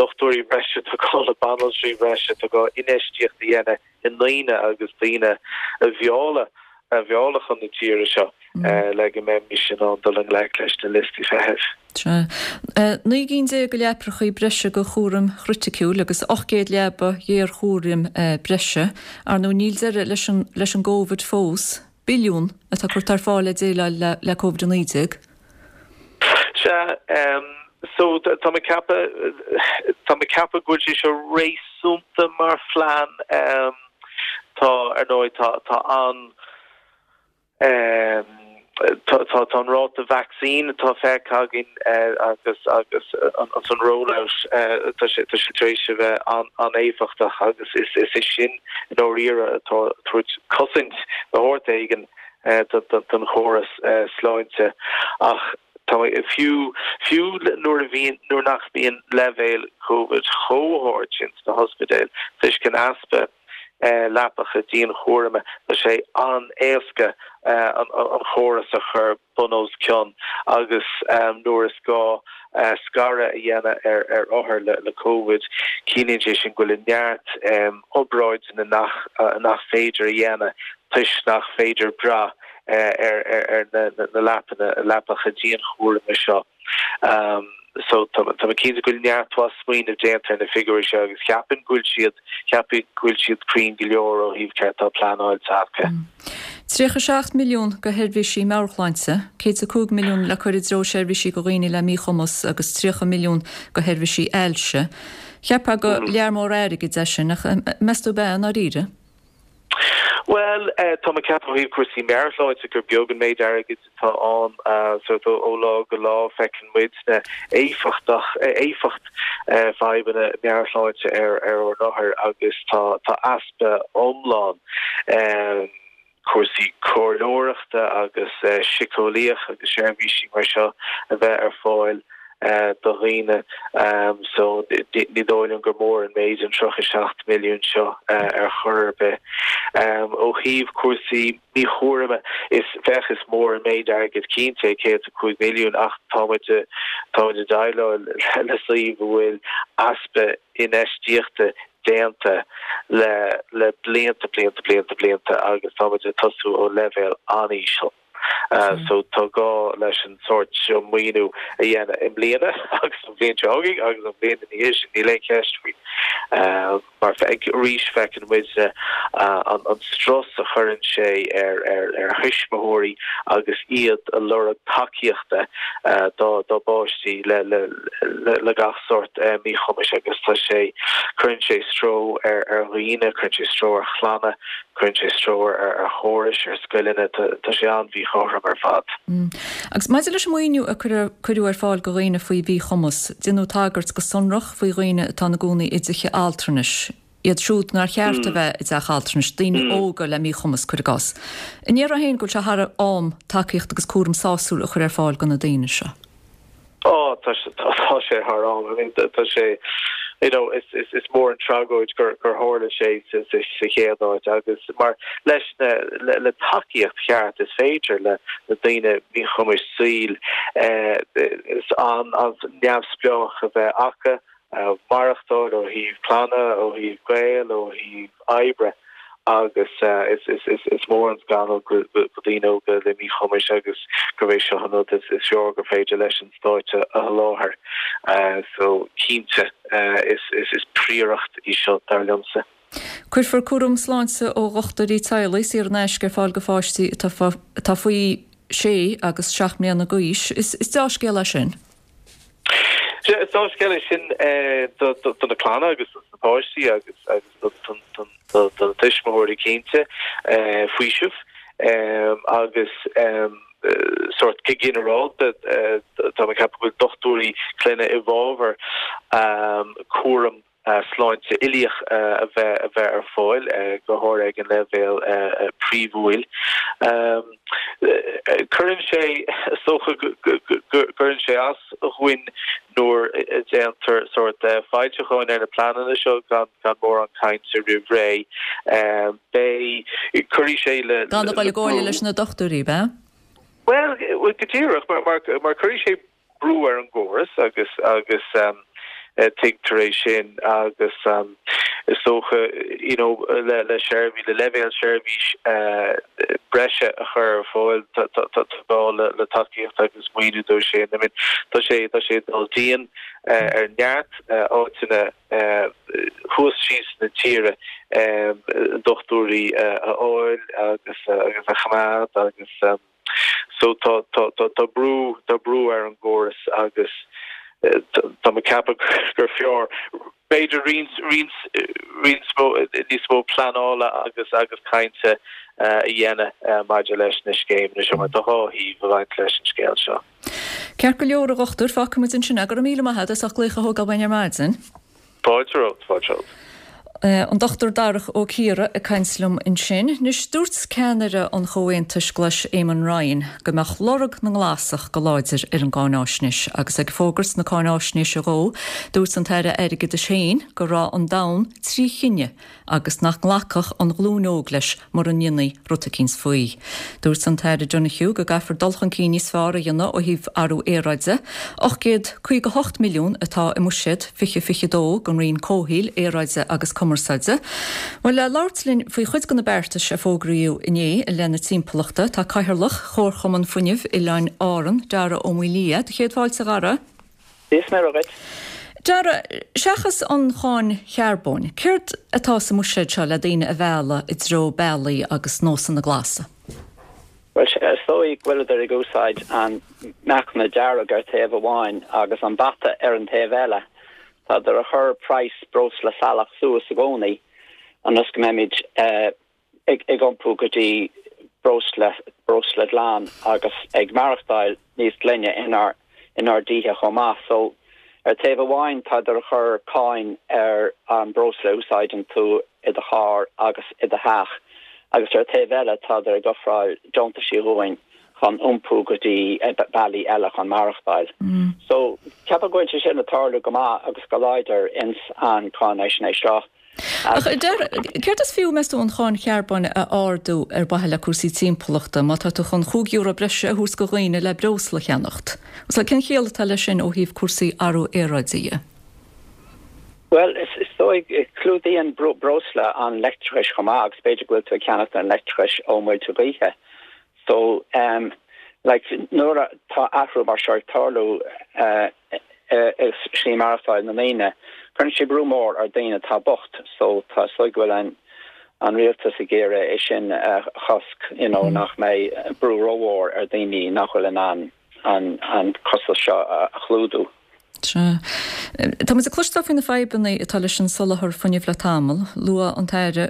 dochtúirí breise tá gá le banaltraí breise tá gá infheistíocht a dhéanamh i ndaoine agus daoine a mhealladh a mhealladh chun na tíre seo le go mbeimis in ann dul i ngleic leis na liostaí feithimh. Sea. Naoi gcinn déag de leapacha breise do chúram chriticiúil agus ocht gcéad leaba ghéarchúraim breise. Ar ndóigh níl deireadh leis an leis an gCovid fós. Billiún atá curtha ar fáil le déileáil le le Covid a naoi déag. Sea, so tá mé ag ceapadh, tá mé ag ceapadh go bhfuil sé seo réasúnta mar phlean. Tá, ar ndóigh, tá, tá an, tá, tá, tá an ráta vacsaín atá feicthe againn agus, agus an, an rollout, tá sé, tá sé tar éis a bheith an-éifeachtach agus is, is é sin i ndáiríre atá ag tabhairt cosaint de shórt éigin don chóras sláinte. Ach tá fiú, fiú nuair a bhíonn, nuair nach mbíonn leibhéil Covid chomh hard sin sna hospidéil toisc an easpa leapacha dianchúraim, tá sé an-éasca an chóras a chur bun os cionn agus nuair is gá scaradh a dhéanamh ar ar othair le Covid, ciallaíonn sé sin go bhfuil neart obráideanna nach nach féidir a dhéanamh toisc nach féidir brath ar ar na leapanna leapacha dianchúraim seo. So tá tá mé cinnte go bhfuil neart mhaith smaoineamh déanta ar na figiúirí seo agus ceapaim go bhfuil siad ceapaim go bhfuil siad cruinn go leor ó thaobh céard atá pleanáilte acu. Tríocha seacht milliún go sheirbhísí meabhairshláinte, céad is a cúig milliún le cur i dtreo seirbhísí go dhaoine le míchumas agus tríocha milliún go sheirbhísí ailse. Cheapfá gur lear mór airgid é sin, ach meas tú ab ea i ndáiríre? Bhuel, tá mé ag ceapadh ó thaobh cúrsaí meabhairshláinte gur beag an méid airgid atá ann, sórt ó lá go lá feiceann muidne éifeachtach, éifeacht fadhbanna meabhairshláinte ar ar ár n-othair agus tá tá easpa iomlán cúrsaí comhairleoireachta agus síceolaíoch agus seirbhísí mar seo a bheith ar fáil do dhaoine so ní dóigh liom gur mór an méid an tríocha seacht milliún seo ar chor ar bith. Ó thaobh cúrsaí míchúraime is féach is mór an méid airgid cinnte é céad is a cúig milliún ach táimid táimid ag déileáil le suíomh a bhfuil easpa infheistíochta déanta le le blianta blianta blianta blianta agus táimid ag tosú ó leibhéal an-íseal. So tá gá leis an sórt seo maoiniú a dhéanamh i mbliana agus an bhliain seo chugainn agus an bhliain ina dhiaidh sin, níl aon cheist faoi. Mar arís feiceann muid an strus a chuireann sé ar ar thuismitheoirí agus iad ag lorg tacaíochta dá dá bpáistí le le le gach sórt míchumais agus tá sé cuireann sé stró ar ar dhaoine, cuireann sé stró ar chlanna, Cuireann sé stró ar chórais, ar scoileanna, tá sé an-mhíchothrom ar fad. Agus maidir leis an maoiniú a cuireadh ar fáil do dhaoine faoi mhíchumas, déanadh tagairt go sonrach faoi dhaoine atá ina gcónaí i dtithe altranais, iad siúd nár cheart a bheith i dteach altranais, daoine óga le míchumas, cuir i gcás. An ndéarfá féin go bhfuil sé thar am tacaíocht agus cúram sásúil a chur ar fáil do na daoine seo? Ó, tá tá sé thar am. I mean, tá sé, you know, is, is, is mór an tragóid gur, gur tharla sé sa, sa, sa chéad áit agus mar leis na, le, le tacaíocht cheart is féidir le na daoine míchumais saol eh, is an, an neamhspleách a bheith acu, eh, maireachtáil ó thaobh clainne, ó thaobh gaol, ó thaobh oibre. Agus is mór an scannal do dhaoine óga le míchumais agus gurb é seo an rud is fearr gur féidir leis an Stát a sholáthar. So cinnte is príoracht í seo dar liomsa. Cuirfear cúram sláinte ó dhochtúirí teaghlaigh saor in aisce ar fáil do pháistí atá faoi sé agus seacht mbliana d'aois. Is dea-scéal é sin. Sea, is dea-scéal é sin do na clanna agus do na páistí agus do na tuismitheoirí cinnte, faoiseamh agus sórt go ginearálta tá mé ag ceapadh go bhfuil dochtúirí clainne i bhfabhar cúram sláinte uilíoch a bheith a bheith ar fáil, go háirithe ag an leibhéal príomhúil. Cuireann sé, is dócha go gcuireann sé as dhúinn nuair a déantar sórt foilseacháin ar na pleananna seo gan gan mórán cainte roimh ré. Beidh, cuirfidh sé le Gan a dhul i gcomhairle leis na dochtúirí, ab ea? Bhuel, go díreach, mar mar cuirfidh sé brú ar an gcóras agus agus tuigtear é sin agus is dócha you know le le seirbhís le leibhéal seirbhís breise a chur ar fáil tá tá gá le le tacaíocht agus maoiniú dó sin. I mean tá sé tá sé ag dul dian ar neart áiteanna thuas síos na tíre dochtúirí a fháil agus agus a choimeád agus So tá tá tá tá brú tá brú ar an gcóras agus tá mé ag ceapadh gur fearr b'fhéidir roinnt roinnt roinnt mó níos mó pleanála agus agus cainte a dhéanamh maidir leis na scéimeanna seo mar tá dhá thaobh ag baint leis an scéal seo. Ceart go leor a dhochtúir, fágfaidh muid ansin é. Go raibh míle maith agat as ucht glaoch a thógáil uainn ar maidin. Fáilte romhat, fáilte romhat. An Dochtúir Darach Ó Ciardha ag caint liom ansin. Anois, dúirt ceannaire an Chomhaontais Ghlais Eamon Ryan go mbeadh lorg na nGlasach go láidir ar an gcáináisnéis agus ag fógairt na cáináisnéise dhó, dúirt an tAire Airgeadais féin go raibh an domhan trí thine agus nach nglacfadh an ghlúin óg leis mura ndéanfaí rud eicínt faoi. Dúirt an tAire Donohoe go gcaithfear dul chun cinn níos fearr a dhéanamh ó thaobh athrú aeráide. ocht gcéad caoga a hocht milliún atá i mbuiséad fiche fiche dó don Roinn Comhshaoil, Aeráide agus Cumarsáide. Bhuel, le labhairt linn faoi chuid de na beartais a fógraíodh inné i leith na timpeallachta, tá Cathaoirleach Chomharchumann Fuinnimh Oileáin Árann, Dara Ó Maolaodha. Do chéad fáilte, a Dhara. Dia is Muire dhuit. Dara, seachas an cháin charbóin, céard atá sa mbuiséad seo le daoine a mhealladh i dtreo bealaí agus nósanna glasa? Bhuel, is dóigh go bhfuileadar ag úsáid an meacan dearg ar taobh amháin agus an bata ar an taobh eile. Tádar a chur praghas breosla salach suas i gcónaí ionas go mbeimid ag iompú go dtí breosla breosla glan agus ag maireachtáil níos glaine inár inár dtithe chomh maith. So ar taobh amháin tádar a chur cáin ar an breosla a úsáideann tú i do charr agus i do theach agus ar taobh eile tádar ag ofráil deontaisí dhúinn chun iompú go dtí bealaí eile chun maireachtáil. So ceapaim go bhfuil sé sin ag tarlú go maith agus go láidir ins an cáinaisnéis seo. Ach céard is fiú, meas tú, an cháin charbóin a ardú ar mhaithe le cúrsaí timpeallachta má tá tú chun chúig euro breise a thabhairt do dhaoine le breosla a cheannacht? Cén chiall atá leis sin ó thaobh cúrsaí athrú aeráide dhe? Bhuel, is dóigh, clúdaíonn breosla an leictreachais chomh maith agus b'fhéidir go bhfuil tú ag ceannacht an leictreachais ó muilte gaoithe. So, um, like, nuair atá athrú mar seo ag tarlú uh, i slí maireachtáil na ndaoine, cuireann sé brú mór ar daoine atá bocht, so tá is dóigh go bhfuil an an rialtas ag iarraidh é sin a chosc, you know, nach mbeidh brú rómhór ar daoine nach bhfuil in ann an an costas seo a chlúdú. Sea. Tá muid ag cloisteáil faoi na fadhbanna atá leis an soláthar fuinnimh le tamall. Luaigh an tAire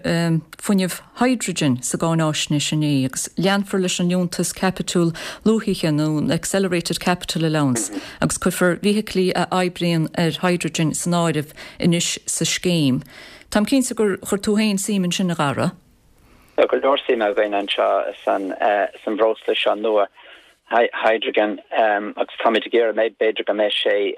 fuinneamh hydrogen sa gcáináisnéis inné agus leanfar leis an liúntas caipitiúil luathaithe nó an Accelerated Capital Allowance agus cuirfear feithiclí a oibríonn ar hydrogen san áireamh anois sa scéim. Táim cinnte gur chuir tú féin suim ansin, a Dhara. Tá go leor suime againn anseo san san bhreosla seo nua, hydrogen, agus táimid ag iarraidh b'fhéidir go mbeidh sé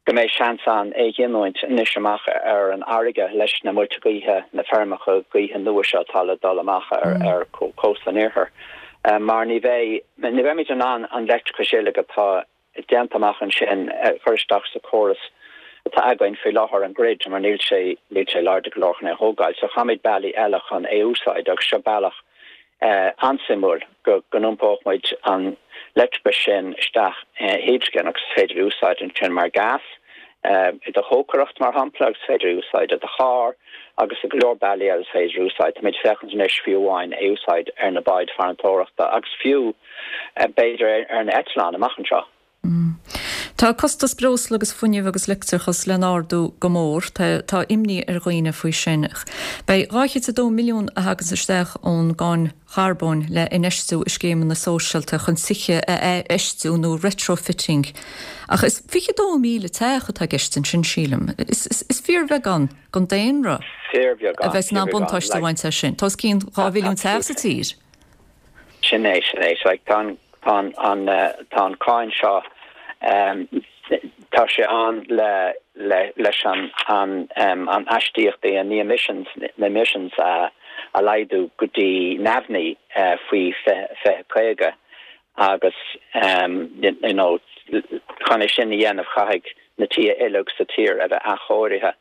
go mbeidh seans ann é a ghiniúint anois amach ar an fharraige leis na muilte gaoithe, na feirmeacha gaoithe nua seo atá le dul amach ar ar cósta an iarthair. Mar ní bheidh ní bheimid in ann an leictreachas uilig atá déanta amach ansin a chur isteach sa chóras atá againn faoi láthair, an grid, mar níl sé níl sé láidir go leor chun é a thógáil. So caithfimid bealaí eile chun é a úsáid agus seo bealach an-suimiúil go go n-iompódh muid an leictreachas sin isteach i hidrigin agus is féidir é a úsáid ansin mar gas i do chócaireacht mar shampla agus is féidir é a úsáid i do charr agus i go leor bealaí eile is féidir é a úsáid. Táimid ag féachaint anois fiú amháin é a úsáid ar na báid farantóireachta agus fiú b'fhéidir ar na eitleáin amach anseo. Tá costas breosla agus fuinnimh agus leictreachas le n-ardú go mór. Tá imní ar dhaoine faoi sin. Beidh dhá chéad is a dó milliún a thaganns isteach ón gcáin charbóin le infheistiú i scéimeanna sóisialta chun tithe a athfheistiú nó retrofitting. Ach is fiche dó míle teach atá i gceist ansin, sílim. Is fíorbheagán den daonra a bheas in ann buntáiste a bhaint as sin. Tá os cionn dhá mhilliún teach sa tír. Sin é, sin é. So, tá an, tá an, tá an cáin seo, tá sé ann le, le, leis an, an, an astaíochtaí, an emissions, na emissions a, a laghdú go dtí neamhní faoi fiche, fiche caoga agus you know chun é sin a dhéanamh caithfidh na tithe uilig sa tír a bheith athchóirithe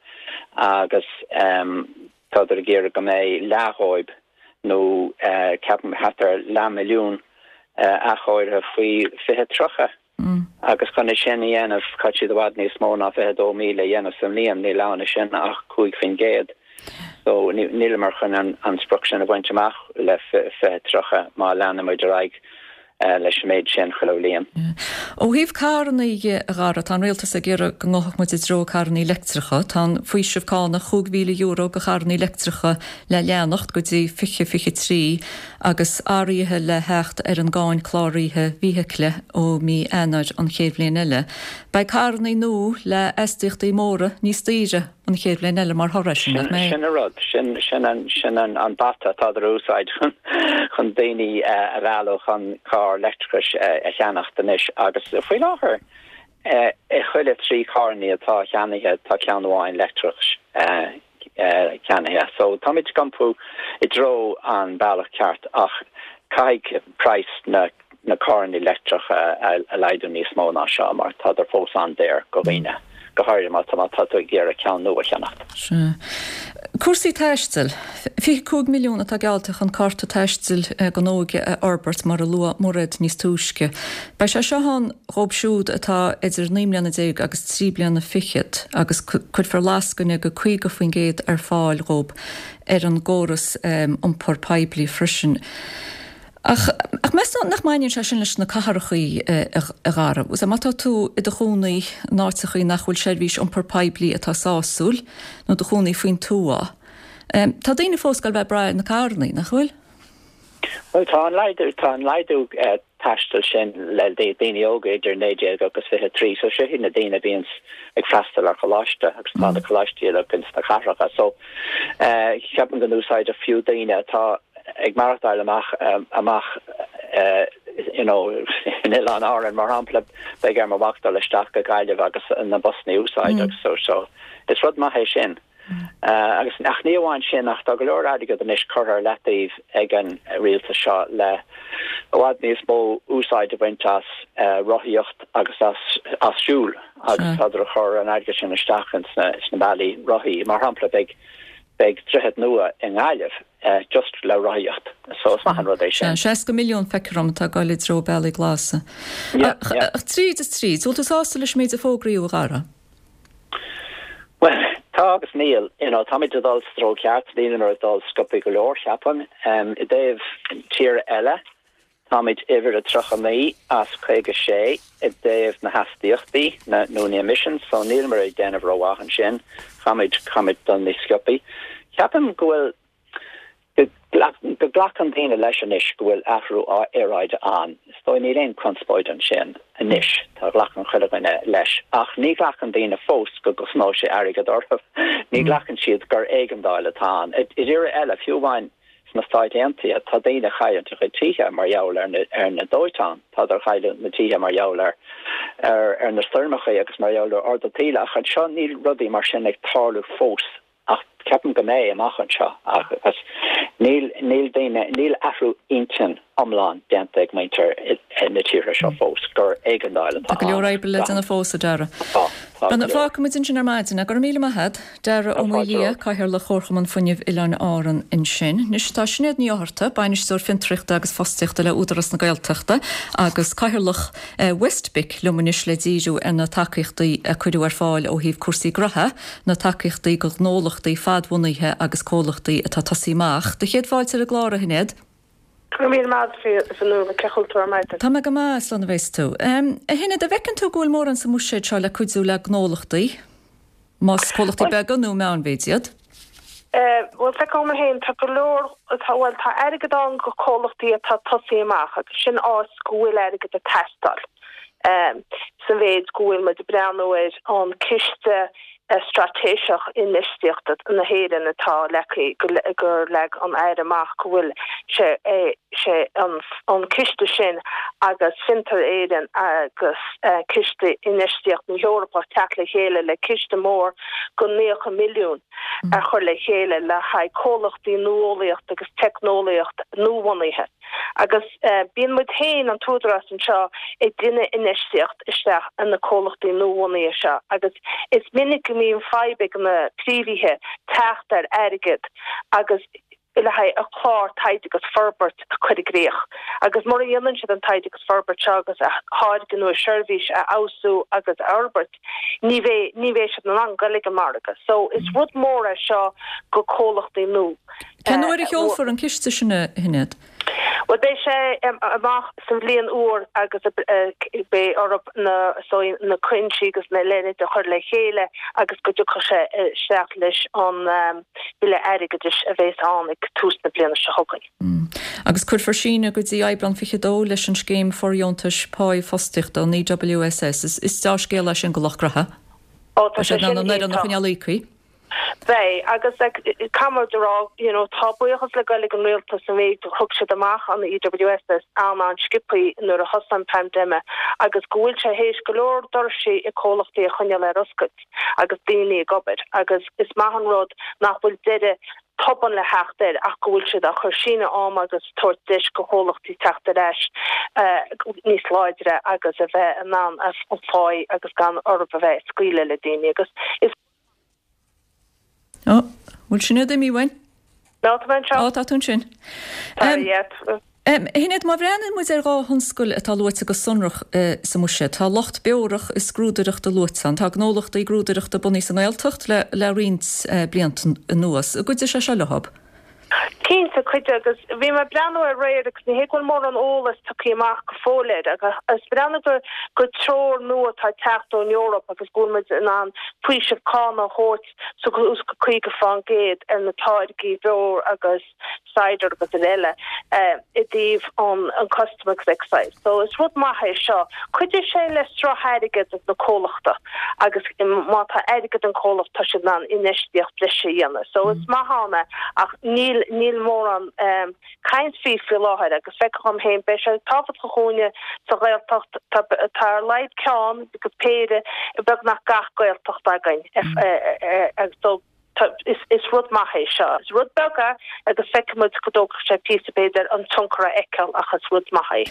agus tádar ag iarraidh go mbeidh leath dhóibh nó ceapaim thart ar leathmhilliún athchóirithe faoi fiche tríocha. Agus chun é sin a dhéanamh, caithfidh siad i bhfad níos mó ná fiche dó míle a dhéanamh sa mbliain, níl ann sin ach cúig faoin gcéad. So níleamar chun an sprioc sin a bhaint amach le fiche tríocha má leanaimid ar aghaidh leis an méid sin chuile bhliain. Ó thaobh carranna dhe, a Dhara, tá an rialtas ag iarraidh go ngabhfadh muid i dtreo carranna leictreacha. Tá an faoiseamh cánach chúig mhíle euro do charranna leictreacha le leanacht go dtí fiche fiche trí agus athruithe le theacht ar an gcáin cláraithe feithicle ó mí Eanáir an chéad bhliain eile. Beidh carranna nua le astaíochtaí móra níos daoire an chéad bhliain eile mar thoradh air sin, nach mbeidh? Sin an rud, sin, sin an, sin an, an bata atá ar úsáid chun, chun daoine a mhealladh chun carr leictreachais a cheannacht anois agus faoi láthair i chuile trí carranna atá ceannaithe tá ceann amháin leictreachais ceannaithe. So táimid ag iompú i dtreo an bealach ceart ach caithfidh praghas na na carranna leictreacha a laghdú níos mó ná seo mar tádar fós an-daor go dhaoine, go háirithe má tá má tá tú ag iarraidh ceann nua a cheannacht. Sea. Cúrsaí taistil. Fiche cúig milliún atá geallta chun cárta taistil don óige a fhorbairt, mar a luaigh Mairéad níos túisce. Beidh sé seo ann dhóibh siúd atá idir naoi mbliana déag agus trí bliana fichead agus cuirfear lascaine de caoga faoin gcéad ar fáil dhóibh ar an gcóras iompair poiblí freisin. Ach ach meas tú nach mbaineann sé sin leis na cathrachaí, a Dhara? Má tá tú i do chónaí in áiteachaí nach bhfuil seirbhís iompair poiblí atá sásúil, nó do chónaí faoin tuath, tá daoine fós ag goil bheith ag brath ar na carrannaí, nach bhfuil? Bhuel, tá an laghdú, tá an laghdú taistil sin le daoine óga idir naoi déag agus fiche trí, so seo iad na daoine a bhíonns ag freastal ar choláiste agus tá na coláistí uilig ins na cathracha. So, ceapaim go n-úsáidfeadh fiú daoine atá ag maireachtáil amach amach you know in Oileáin Árann mar shampla, beidh ar mo mhac dul isteach go Gaillimh agus na busanna a úsáid agus so so is rud maith é sin. Agus ach ní amháin sin ach tá go leor airgead anois curtha ar leataobh ag an rialtas seo le i bhfad níos mó úsáid a bhaint as rothaíocht agus as as siúl agus tádar ag cur an airgead sin isteach ins na ins na bealaí rothaí. Mar shampla beidh Beidh droichead nua i nGaillimh just le rothaíocht so is maith an rud é sin. Sea, seasca milliún feictear dom atá ag dul i dtreo bealaí glasa. Yeah, yeah. Ach tríd is tríd, bhfuil tú sásta leis an méid a fógraíodh, a Dhara? Bhuel, tá agus níl. You know, táimid ag dul sa treo ceart, nílimid ag dul sciobtha go leor, cheapfainn. I dtaobh tíortha eile, Táimid uimhir a tríocha naoi as caoga sé i dtaobh na hastaíochtaí, na, nó na emissions, so níleamar ag déanamh rómhaith ansin. Caithfimid, caithfimid dul níos sciobthaí. Ceapaim go bhfuil, go, go nglacann daoine leis anois go bhfuil athrú aeráide ann. Is dóigh níl aon conspóid ansin anois, tá, glacann chuile dhuine leis. Ach ní ghlacann daoine fós go gcosnóidh sé airgead orthu. Ní ghlacann siad gur éigeandáil atá ann. I dtíortha eile, fiú amháin Sna Stáit Aontaithe, tá daoine ag cailliúint a gcuid tithe mar gheall ar na ar na dóiteáin, tádar ag cailliúint na tithe mar gheall ar ar ar na stoirmeacha agus mar gheall ar ardú taoille ach anseo níl rudaí mar sin ag tarlú fós ach ceapaim go mbeidh amach anseo agus níl níl daoine níl athrú intinn iomlán déanta ag muintir na tíortha seo fós gur éigeandáil atá Tá go leor ann. oibre le déanamh fós, a Dhara. Tá, tá go leor. Fágfaidh muid ansin ar maidin. Go raibh míle maith agat. Dara Ó Tá fáilte Maoildhia, romhat. Cathaoirleach Chomharchumann Fuinnimh Oileáin Árann ansin. Anois tá Sinéad Ní Fhátharta, Bainisteoir Fiontraíochta agus Fostaíochta le Údarás na Gaeltachta agus Cathaoirleach WestBIC liom anois le díriú ar na tacaíochtaí a cuireadh ar fáil ó thaobh cúrsaí graithe, na tacaíochtaí do ghnólachtaí fadbhunaithe agus comhlachtaí atá ag tosaí amach. Do chéad fáilte ar an gclár, a Shinéad. Go raibh míle maith agat, a Fionnuala, cén chaoi a bhfuil tú ar maidin? Tá mé go maith, slán a bheas tú. A Shinéad, an bhfeiceann tú go bhfuil mórán sa mbuiséad seo le cuidiú le gnólachtaí, más comhlachtaí beaga nó meánmhéid iad? Bhuel, feicim dhom féin, tá go leor, tá, bhuel, tá airgead ann go comhlachtaí atá ag tosaí amach agus sin áit go bhfuil airgead ag teastáil. Sa mhéid go bhfuil muid ag breathnú ar an Ciste Straitéiseach Infheistíochta na hÉireann atá leagtha, gur leag an Aire amach go bhfuil sé sé an an ciste sin agus Fiontar Éireann agus Ciste Infheistíochta na hEorpa teacht le chéile le ciste mór go naocha milliún a chur le chéile le haghaidh comhlachtaí nuálaíocht agus teicneolaíocht nuabhunaithe. Agus bíonn muid féin, an tÚdarás anseo, ag déanamh infheistíocht isteach in na comhlachtaí nuabhunaithe seo agus is minic go mbíonn fadhb ag na príomhaithe teacht ar airgead agus le haghaidh a chlár taighde agus forbairt a chur i gcrích. Agus mura dhéanann siad an taighde agus forbairt seo agus a tháirge nó a seirbhís a fheabhsú agus a fhorbairt, ní bheidh ní bheidh siad in ann goil ag an margadh. So is rud mór é seo go comhlachtaí nua. Cén uair a sheolfar an ciste sin, a Shinéad? Bhuel, beidh sé amach sa bhliain úr agus beidh orthu na na coinsí agus na leithéid a chur le chéile agus go dtiocfaidh sé isteach leis an Bille Airgeadais a bheas ann ag tús na bliana seo chugainn. Agus cuirfear síneadh go dtí Aibreán fiche a dó leis an scéim fóirdheontais páí fostaíochta, an EWSS. Is dea-scéal é sin do lucht graithe. Ó, tá Tá sé siad in ann sin an fhoireann a iontach. choinneáil íoctha. Beidh, agus caithfidh muid a rá, you know, tá buíochas le goil ag an rialtas an mhéid a thug siad amach an EWSS an-an-sciobthaí nuair a thosaigh an paindéim agus go bhfuil sé théis go leor doirsí i comhlachtaí a choinneáil ar oscailt agus daoine ag obair agus is maith an rud nach bhfuil deireadh tobann le theacht air ach go bhfuil siad á chur síneadh ama agus tabhairt deis go chomhlachtaí teacht ar ais níos láidre agus a bheith in ann an pháí agus gan orthu a bheith ag scaoileadh le daoine agus is Ó, bhfuil Sinéad imithe uainn? No, tá mé anseo. Ó, tá tú ansin. Tá, yeah. Shinéad, má bhreathnaíonn muid ar dhá thionscal atá luaite go sonrach sa mbuiséad, tá lucht beorach is grúdaireachta luaite ann. Tá gnólachtaí grúdaireachta bunaithe sa nGaeltacht le le roinnt blianta anuas. An gcuideoidh sé seo leo? Cinnte, cuideoidh agus bhí mé ag breathnú aréir agus ní hé go bhfuil mórán eolas tugtha amach go fóill air agus is breathnú gur gur treoir nua atá ag teacht ón Eoraip agus go bhfuil muid in ann faoiseamh cánach a thabhairt suas go caoga fán gcéad ar na táirgí beoir agus cider agus eile i dtaobh an an custom agus excise. So is rud maith é seo. Cuideoidh sé le sruth airgid na comhlachta agus má tá airgead an comhlacht tá siad in ann infheistíocht breise a dhéanamh. So is maith ann é ach níl níl mórán um, caint faoi faoi láthair agus feicim dhom féin beidh sé tábhachtach dhúinne sa Ghaeltacht tá tá ar laghad ceann agus péire beagnach gach Gaeltacht againn agus so is is rud maith é seo. Is rud beag é agus feicfimid go dtógfaidh sé píosa b'fhéidir an tionchar a fheiceáil ach is rud maith é.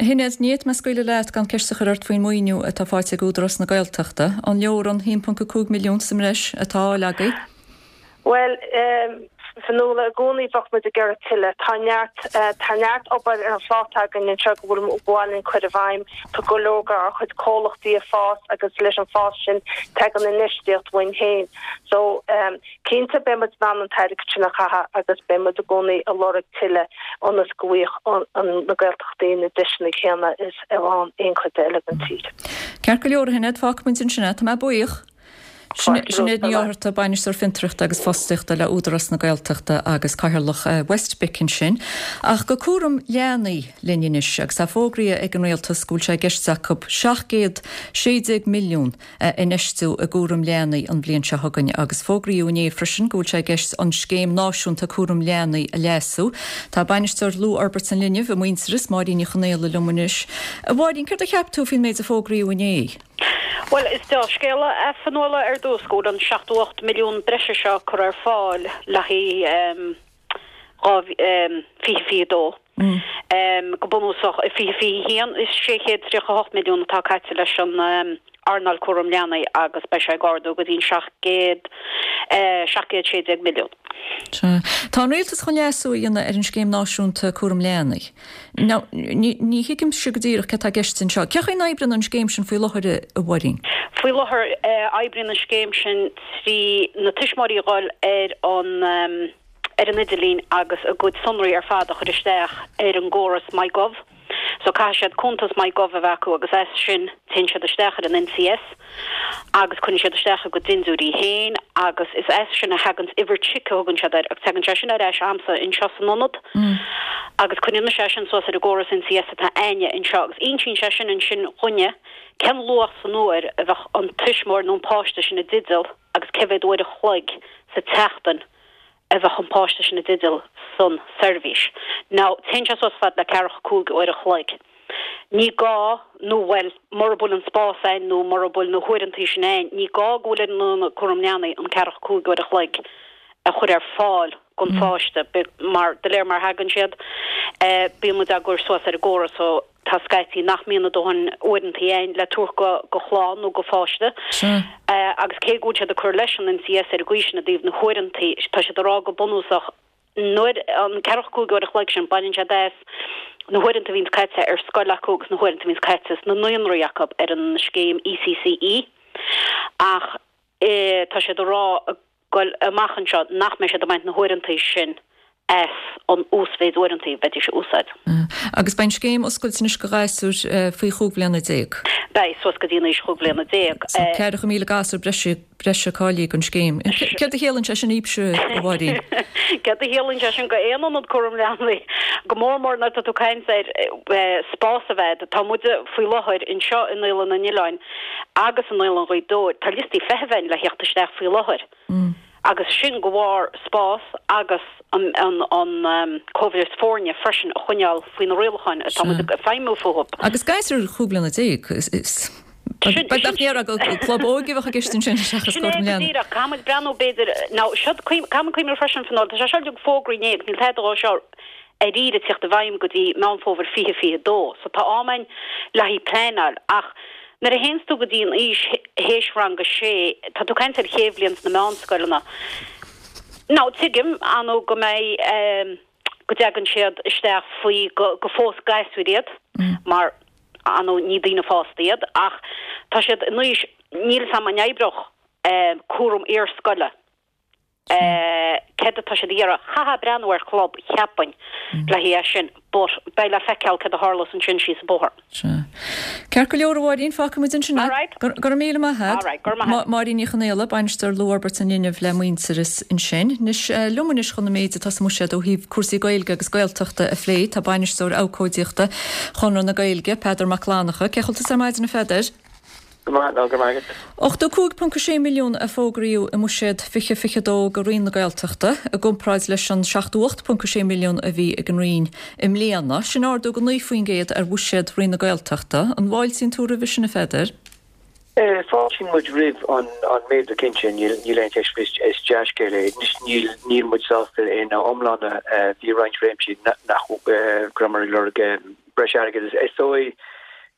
Shinéad, ní fhéadfaidh mé scaoileadh leat gan ceist a chur ort faoin maoiniú atá faighte ag Údarás na Gaeltachta. An leor an haon ponc a cúig milliún sa mbreis atá á fháil agaibh? Bhuel, Fionnuala, i gcónaí bheadh muid ag iarraidh tuilleadh. Tá neart, tá neart obair ar an phláta againn anseo go bhfuil ba mhaith linn cur i bhfeidhm. Tá go leor dár chuid comhlachtaí ag fás agus leis an fás sin tagann infheistíocht uainn féin. So, cinnte beidh muid in ann an t-airgead sin a chaitheamh agus beidh muid i gcónaí ag lorg tuilleadh ionas go bhfaighidh na Gaeltachtaí na deiseanna céanna is a fhaigheann aon chuid eile den tír. Ceart go leor, a Shinéad, fágfaidh muid ansin é. Tá mé buíoch. Sinéad Ní Fhátharta, Bainisteoir Fiontraíochta agus Fostaíochta le Údarás na Gaeltachta agus Cathaoirleach WestBIC ansin. Ach go cúram leanaí linn anois agus tá fógraithe ag an Rialtas go bhfuil sé i gceist acu seacht gcéad sé déag milliún a infheistiú i gcúram leanaí an bhliain seo chugainn agus fógraíodh inné freisin go bhfuil sé i gceist an Scéim Náisiúnta Cúram Leanaí a leasú. Tá Bainisteoir Luathfhorbairt an Linbh i Muintearas, Máirín Ní Chonaola liom anois. A Mháirín, céard a cheap tú faoin méid a fógraíodh inné? Bhuel, is dea-scéala é Fionnuala ar dtús go bhfuil an seachtó ocht milliún breise seo curtha ar fáil le haghaidh dhá fiche fiche dó. Go bunúsach, i fiche fiche haon is sé chéad tríocha hocht milliún atá caite leis an earnáil cúram leanaí agus beidh sé ag ardú go dtí an seacht gcéad seacht gcéad sé déag milliún. Sea. Tá an rialtas chun leasú a dhéanamh ar an Scéim Náisiúnta Cúram Leanaí. Now, ní, ní thuigimse go díreach céard atá i gceist anseo. Cén chaoi a n-oibríonn an scéim sin faoi láthair, a Mháirín? Faoi láthair, oibríonn an scéim sin trí na tuismitheoirí a dhul ar an, ar an idirlíon agus a gcuid sonraí ar fad a chur isteach ar an gcóras MyGov. So caithfidh siad cuntas MyGov a bheith acu agus as sin téann siad isteach ar an NCS agus cuireann siad isteach a gcuid dindiúirí féin agus is as sin a thaganns uimhir chic a thugann siad air agus tagann sé sin ar ais a'msa anseo san ionad agus cuireann mise é sin suas ar an gcóras NCS atá a'inne anseo agus insíonn sé sin ansin dhúinne cén luach san uair a bheadh an tuismitheoir nó an páiste sin i dteideal agus cé mhéad uair a chloig sa tseachtain a bheadh an páiste sin i dteideal san seirbhís. Now, téann sé suas fad le ceathracha cúig uair a chloig. Ní gá, nó bhuel, mura bhfuil an spás ann nó mura bhfuil na huaireantaí sin ann, ní gá go bhfuil ar an ionad cúram leanaí an ceathracha cúig uair a chloig a chur ar fáil don pháiste, mar de réir mar a thagann siad, bíonn muid á gcur suas ar an gcóras so tá scaití nach mbíonn a dóthain uaireantaí ann le tabhairt go go chlann nó go pháiste. Agus cé go bhfuil siad ag cur leis an NCS ar an gcaoi sin i dtaobh na huaireantaí, tá siad ag rá go bunúsach nuair an ceathracha cúig uair a chloig sin, baineann siad as na huaireanta a bhíonns caite ar scoil acu agus na huaireanta a bhíonns caite sna naíonraí acu ar an scéim ECCE. Ach tá siad ag rá ag goil amach anseo nach mbeidh siad ag baint na huaireantaí sin as an uasmhéid uaireantaí a bheidís a úsáid. Agus beidh an scéim oscailte anois go ghasúir faoi chúig bhliana déag. Beidh, suas go dtí an aois chúig bhliana déag. So ceathracha míle gasúr breise breise cáilithe don scéim. Céard a chiallaíonn sé sin daoibhse, a Mháirín? Céard a chiallaíonn sé sin go aon ionad cúram leanaí, go mór mór nuair atá tú ag caint ar spás a bheith. Tá muide faoi láthair anseo i Naíolann an Oileáin agus i Naíolann Ghaoth Dobhair, tá liostaí feithimh ann le theacht isteach faoi láthair. Agus sin de bharr spás agus an an cóimheas foirne freisin a choinneáil faoi na rialacháin atá muid ag feidhmiú fúthu. Agus gasúir chúig bliana déag, is beag nach ndéarfá club óige a bheadh i gceist ansin seachas Sin é cúram go leanaí. díreach. Caithfidh muid breathnú b'fhéidir, nó seod, caithfidh muid cuimhneamh freisin Fionnuala, tá sé seo uilig fógraithe inné agus níl tada dhó seo dáiríre ag teacht i bhfeidhm go dtí Meán Fómhair fiche fiche dó. So tá am ann le haghaidh pleanáil ach nuair a théanns tú go dtí an aois théis rang a sé, tá tú ag caint ar chéad bhliain sna meánscoileanna, Now tuigim ar ndóigh go mbeidh go dtagann siad isteach faoi go go fós gasúir iad mar ar ndóigh ní daoine fásta iad ach tá siad in aois níl 'fhios a'm an oibreodh cúram iarscoile céard atá siad a iarraidh. Chaithfeá breathnú ar chlub cheapfainn le haghaidh é sin but beidh le feiceáil céard a tharlós ansin síos an bóthar. Sea. Ceart go leor a Mháirín, fágfaidh muid ansin é. All right. Go raibh míle maith agat. All right, go raibh maith agat. Máirín Ní Chonaola, Bainisteoir Luathfhorbairt an Linbh le Muintearas ansin. Anois liom anois chun an méid atá sa mbuiséad ó thaobh cúrsaí Gaeilge agus Gaeltachta a phlé, tá Bainisteoir Abhcóideachta Chonradh na Gaeilge, Peadar Mac Fhlannchadha. Cén chaoi a bhfuil tusa ar maidin a Pheadair? Go maith, go raibh maith agat. Ochtó cúig ponc a sé milliún a fógraíodh i mBuiséad fiche fiche dó do Roinn na Gaeltachta, i gcomparáid leis an seachtó ocht ponc a sé milliún a bhí ag an Roinn i mbliana. Sin ardú de naoi faoin gcéad ar bhuiséad Roinn na Gaeltachta. An bhfáiltíonn tú roimhe sin, a Pheadair? Fáiltíonn muid roimh an méadú cinnte, níl aon cheist faoi, is dea-scéal é. Anois níl muid sásta ina iomláine, bhí roinnt réimsí nach go rabhamar ag lorg breis airgid. Is dóigh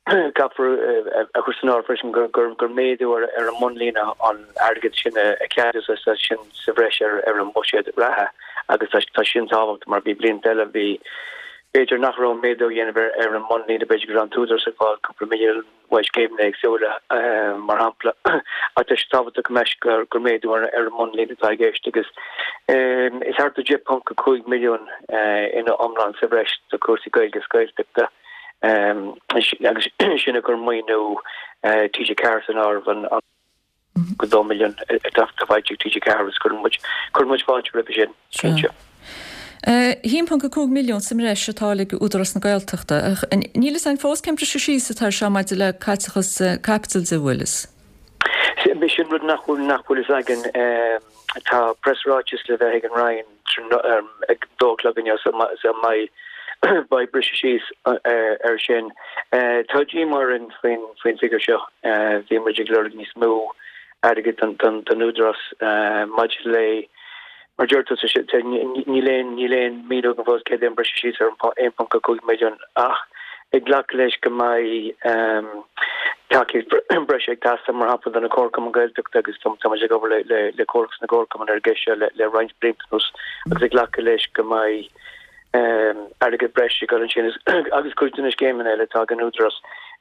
Caithfear a chur san áireamh freisin gur méadú ar an mbunlíne an airgead sin a ceadaíodh agus tá sin sa bhreis ar an mbuiséad reatha agus tá sin tábhachtach mar bhí blianta eile bhí b'fhéidir nach raibh méadú á dhéanamh ar an mbunlíne, b'fhéidir go raibh an t-údarás ag fáil cúpla milliún uaidh scéimeanna éagsúla mar shampla ach tá sé tábhachtach go mbeidh gur méadú ar an mbunlíne atá i gceist agus is thart ar deich ponc a cúig milliún ina iomlán sa bhreis do chúrsaí Gaeilge is Gaeltachta. Agus sin ag cur maoiniú T G ceathair san áireamh, an go dó milliún atá faighte ag T G ceathair agus cuireann muid cuireann muid fáilte roimhe sin, cinnte. A haon ponc a cúig milliún sa mbreis atá ag Údarás na Gaeltachta. Níl fhios againn fós cén briseadh síos atá ar seo maidir le caiteachas caipitil de, bhfuil fhios? Sin rud nach bhfuil nach bhfuil fhios againn. Tá preasráiteas le bheith ag an Roinn ag dó a chlog inniu so mbeidh beidh briseadh síos air sin. Tá díomá orainn faoin bhfigiúr seo. Bhí muid ag lorg níos mó airgid don Údarás maidir le, mar a deir tú, níl aon níl aon míniú againn fós céard é an briseadh síos ar an aon ponc a cúig milliún ach ag glacadh leis go mbeidh tacaíocht breise ag teastáil mar shampla do na comharchumainn Gaeltachta agus tá muid ag obair le Comhlachas na gComharchumann ar an gceist seo le roinnt blianta anuas agus ag glacadh leis go mbeidh airgead breise ag dul ansin agus cuid de na scéimeanna eile atá ag an Údarás.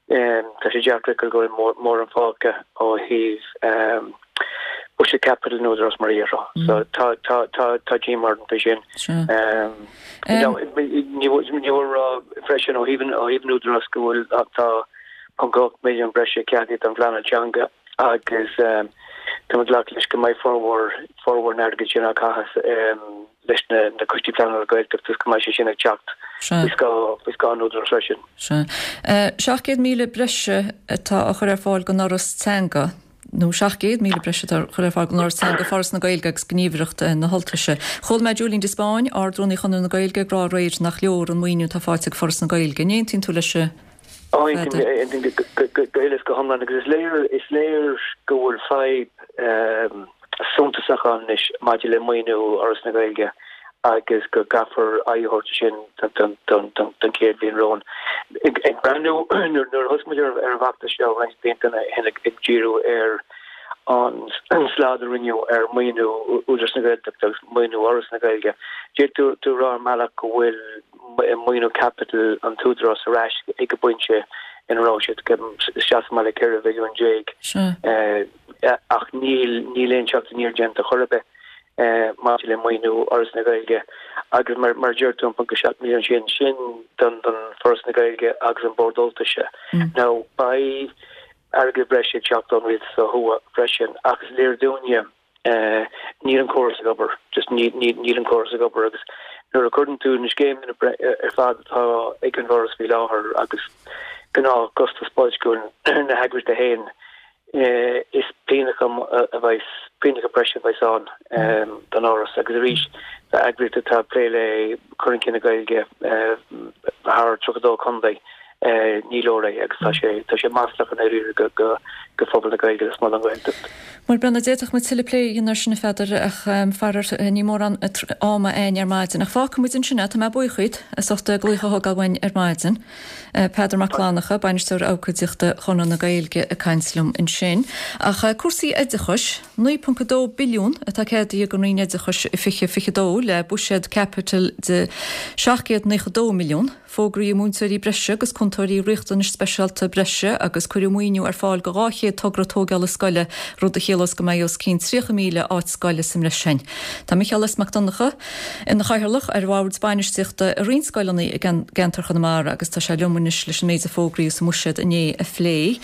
Tá sé deacair a fheiceáil go bhfuil mórán fágtha ó thaobh buiséad caipitil an Údaráis mar a déarfá. So tá tá tá tá díomá orainn faoi sin. Ní mór a rá freisin ó thaobh ó thaobh an Údaráis go bhfuil tá ponc ocht milliún breise ceadaithe don phleanáil teanga agus tá muid ag glacadh leis go mbeidh formhór formhór an airgid sin á chaitheamh leis na Coistí Pleanála Gaeltachta agus go mbeidh sé sin ag teacht faoi scáth an Údaráis freisin. Sea. Seacht gcéad míle breise atá á chur ar fáil don Fhoras Teanga, nó seacht gcéad míle breise atá á chur ar fáil don Fhoras Teanga, Foras na Gaeilge agus Gníomhaireacht na hUltaise. Chuala mé Julian de Spáinn, Ard-Rúnaí Chonradh na Gaeilge, ag rá aréir nach leor an maoiniú atá faighte ag Foras na Gaeilge. An aontaíonn tú leis, a Aontaím, aontaím go huile is go hiomlán agus is léir, is léir go bhfuil fadhb suntasach ann anois maidir le maoiniú Fhoras na Gaeilge agus go gcaithfear aghaidh a thabhairt air sin don chéad bhliain romhainn. Ag breathnú, nuair a thosaigh muid ar an bhfeachtas seo roinnt blianta ó shin ag díriú ar an slad a rinneadh ar mhaoiniú Údarás na Gaeltachta agus maoiniú Fhoras na Gaeilge, d'fhéadfadh tú a rá ar mbealach go bhfuil maoiniú caipitil an tÚdarás ar ais ag an bpointe ina raibh siad, seasamh maith le ceithre mhilliún déag, ach níl níl aon teacht aniar déanta chor ar bith maidir le maoiniú Fhoras na Gaeilge agus mar mar a deir tú an ponc a seacht milliún sin, sin don don Foras na Gaeilge agus an Bord Ultaise. Now beidh airgead breise ag teacht ón rialtas ó thuaidh freisin ach is léir dúinne, Níl an córas ag obair, just níl an córas ag obair agus nuair a chuireann tú na scéimeanna ar fad atá ag an bhForas faoi láthair agus gnáthchostas boilsciúil na heagraíochta féin, is pianach a bheas, pianach breise a bheas ann don Fhoras agus arís tá eagraíocht atá ag plé le cur chun cinn na Gaeilge thar tríocha dó contae. Ní leor é agus tá sé tá sé maslach i ndáiríre go go go phobal na Gaeilge agus don Ghaeltacht. Bhuel Brendan d'fhéadfadh muid tuilleadh plé a dhéanamh air sin a Pheadair ach faraor níl mórán ama againn ar maidin. Ach fágfaidh muid ansin é, tá mé buíoch díot as ucht glaoch a thógáil uainn ar maidin. Peadar Mac Fhlannchadha, Bainisteoir Abhcóideachta Chonradh na Gaeilge ag caint liom ansin. Ach cúrsaí oideachais, naoi ponc a dó billiún atá ceadaithe ag an Roinn Oideachais i fiche fiche dó le buiséad caipitil de seacht gcéad naocha dó milliún. Fógraíodh múinteoirí breise agus cúntóirí riachtanais speisialta breise agus cuireadh maoiniú ar fáil do dhá chéad togra tógála scoile, rud a chiallós go mbeidh os cionn tríocha míle áit scoile sa mbreis againn. Tá Micheál S. Mac Donncha ina chathaoirleach ar bhord bainistíochta i roinnt scoileanna i gceantar Chonamara agus tá sé liom anois leis an méid a fógraíodh sa mbuiséad inné a phlé.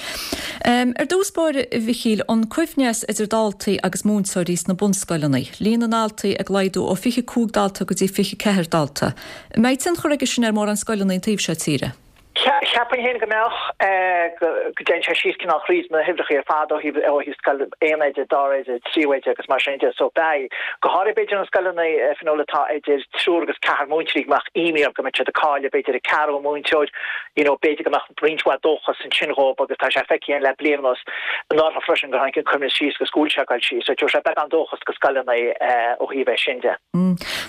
Ar dtús báire, a Mhichíl, an coibhneas idir daltaí agus múinteoirí sna bunscoileanna, líon na ndaltaí ag laghdú ó fiche cúig dalta go dtí fiche ceathair dalta. An mbeidh tionchar aige sin ar mhórán scoileanna an taobh seo tíre? Cheapfainn féin go mbeadh, go dtéann sé síos cineál thríd na huimhreacha ar fad ó thaobh ó thaobh scoil aon oide, dara oide, tríú oide agus mar sin de. So beidh, go háirithe b'fhéidir na scoileanna Fionnuala atá idir triúr agus ceathrar múinteoirí go mbeadh imní orthu go mbeadh siad ag cailleadh b'fhéidir an ceathrú múinteoir, you know b'fhéidir go mbeadh roinnt mhaith dóchas ansin dhóibh agus tá sé feicthe againn le bliain anuas anuraidh freisin gur tháinig an coibhneas síos agus go bhfuil sé ag dul síos. So tabharfaidh sé beagán dóchas go scoileanna ó thaobh é sin de.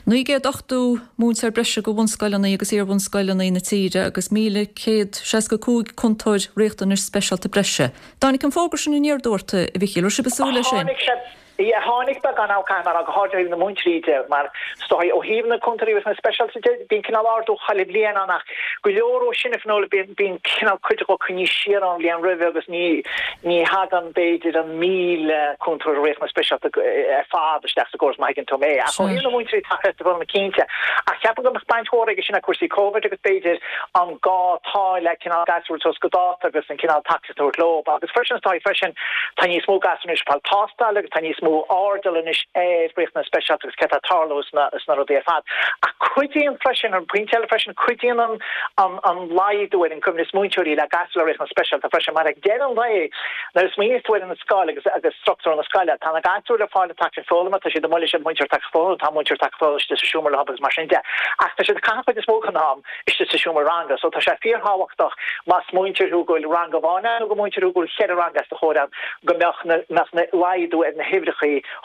Naoi gcéad ochtó múinteoir breise go bhunscoileanna agus iarbhunscoileanna na tíre agus míle céad seasca cúig cúntóir riachtanais speisialta breise. Dtáinig an fógra sin aniar aduaidh ort, a Mhichíl, raibh sibh ag súil leis sin? Tháinig sé, yeah, tháinig beagán ann caithfidh mé a rá, go háirithe ó thaobh na múinteoirí de, mar is dóigh ó thaobh na cúntóirí riachtanais speisialta de, bíonn cineál ardú chuile bhliain ann ach go leor ó sin a Fhionnuala, bíonn, bíonn cineál cuid acu coinnithe siar ón bhliain roimhe agus ní, ní thagann b'fhéidir an míle cúntóir riachtanais speisialta ar fad isteach sa gcóras má thuigeann tú mé. Ach ó thaobh na múinteoirí tacaíochta foghlama cinnte, ach ceapaim go mbeadh baint mhór aige sin le cúrsaí Covid agus b'fhéidir an gá atá le cineál gasúir suas go dáta agus an cineál tacaíocht a thabhairt leo. Agus freisin is dóigh freisin tá níos mó gasúir anois ag fáil tástáil agus tá níos mó airdeall anois ar riachtanais speisialta agus céard atá ag tarlú sna sna rudaí ar fad. Ach cuidíonn freisin, an pointe eile freisin, cuidíonn an an an laghdú ar an gcoibhneas múinteoirí le gasúir le riachtanais speisialta freisin mar ag deireadh an lae nuair a smaoiníos tú ar an scoil agus agus struchtúr na scoile, tá na gasúir ag fáil an tacaíocht foghlama, tá siad amuigh leis an múinteoir tacaíocht foghlama, tá múinteoir tacaíocht foghlama istigh sa seomra leo agus mar sin de. Ach tá siad ag caitheamh an chuid is mó den am istigh sa seomra ranga so tá sé fíorthábhachtach más múinteoir thú go bhfuil rang amháin ann nó gur múinteoir thú go bhfuil cheithre rang os do chomhair ann go mbeadh na mbeadh na laghdú ar na huimhreacha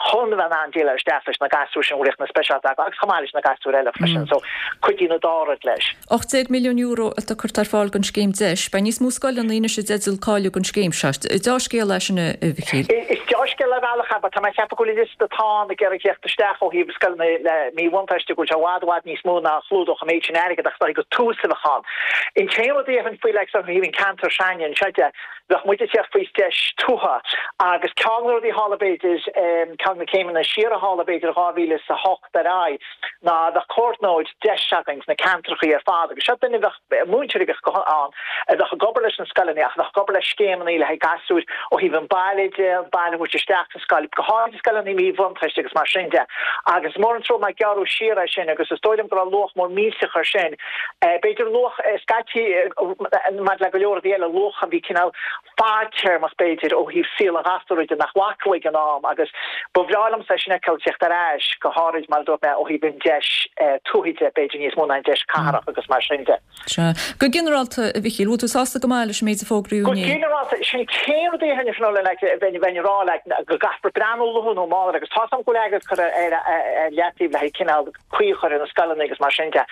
chun a bheith in ann déileáil isteach leis na gasúir sin a bhfuil riachtanais speisialta acu agus chomh maith leis na gasúir eile freisin so cuidíonn an dá rud leis. ocht déag milliún euro atá curtha ar fáil don scéim DEIS. Beidh níos mó scoileanna anois i dteideal cáiliú don scéim seo. Deá-scéal é sin, a Mhichíl. Is deá-scéal ar bhealach é, but tá mé ag ceapadh go bhfuil an liosta atá ann ag iarraidh theacht isteach ó thaobh scoileanna le míbhuntáiste go bhfuil sé i bhfad i bhfad níos mó ná a chlúdódh an méid sin airgid ach is dóigh gur tús a bheadh ann. An t-aon rud a dhéarfainn faoi like ó thaobh an ceantar s'againne anseo de, bheadh muid ag teacht faoi deis tuaithe agus ceann de na rudaí a tharla b'fhéidir, ceann de na céimeanna siar a tharla b'fhéidir dhá mhíle is a hocht ar aghaidh ná bheadh comhordnóir deis againn sna ceantrachaí ar fad agus seo duine a bheadh, múinteoir a bheadh ann a bheadh ag obair leis na scoileanna ach a bheadh ag obair le scéimeanna le haghaidh gasúir ó thaobh an baile de, an baile a thabhairt isteach sa scoil, go háirithe scoileanna míbhuntáiste agus mar sin de. Agus is mór an trua mar gearradh siar é sin agus is dóigh liom go raibh luach mór millteach air sin. B'fhéidir luach scaití maidir le go leor rudaí eile, luach a bhí cineál fadtéarmach b'fhéidir ó thaobh saol an ghasúir de nach bhfaca ag an am agus ba bhreá liomsa é sin a fheiceáil ag teacht ar ais, go háirid mar a dúirt mé ó thaobh an deis tuaithe de b'fhéidir níos mó ná an deis cathrach agus mar sin de. Sea. Go ginearálta, a Mhichíl, bhfuil tú sásta go maith leis an méid a fógraíodh Go inné? ginearálta, sin an t-aon rud a dhéarfainn Fionnuala like bheinn bheinn ag rá like go gcaithfear breathnú luath nó mall air agus tá's agam go bhfuil airgead curtha ar ar leataobh le haghaidh cineál caoi a chur ar na scoileanna agus mar sin de.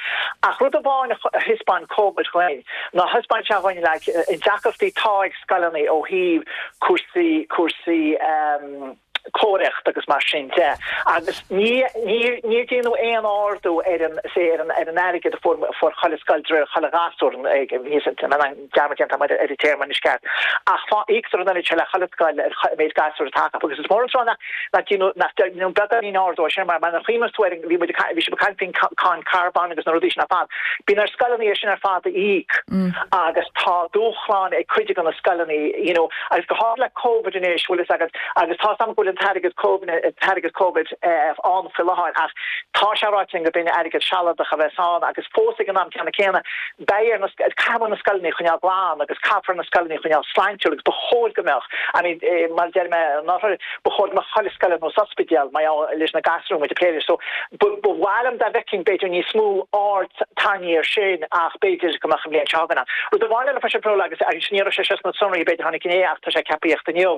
Ach rud amháin a thaispeáin Covid dhuinn ná thaispeáin sé dhuinn like an deacrachtaí atá ag scoileanna ó thaobh cúrsaí cúrsaí ehm cóiríocht agus mar sin de. Agus ní ní níor déanadh aon ardú ar an say ar an ar an airgead a fuair a fuair chuile scoil de réir chuile ghasúr an dearmad déanta agam ar an téarma anois ceart. Ach fá íoctar an oiread seo le chuile scoil ar an méid gasúr atá acu agus is mór an trua nach nach déanadh nach déanadh beagáinín ardú air sin mar mar a chuimhneos tú ar an bhí muid ag bhí sibh ag caint faoin cáin carbóin agus na rudaí sin ar fad. Bíonn ar scoileanna é sin ar fad a íoc agus tá dúshláin ag cuid de na scoileanna you know agus go háirithe le Covid anois bhfuil fhios agat agus tá's agam go bhfuil an t-airgead t-airgead Covid ann faoi láthair ach tá sé ráite linn go b'in airgead sealadach a bheas ann agus fós ag an am ceanna céanna beidh ar na caithfear na scoileanna a choinneáil glan agus caithfear na scoileanna a choinneáil sláintiúil agus ba chóir go mbeadh I mean mar a deir mé anuraidh ba chóir go mbeadh chuile scoil ar nós ospidéal mar gheall leis na gasúir muid ag plé leis so ba mhaith liom dá bhfeicfinn b'fhéidir níos mó aird tarraingthe air sin ach b'fhéidir go mbeadh an bhliain seo chugainn ann. Rud amháin eile freisin Fionnuala agus agus ní raibh sé seo sna sonraí b'fhéidir tháinig inné ach tá sé ceaptha a thíocht inniu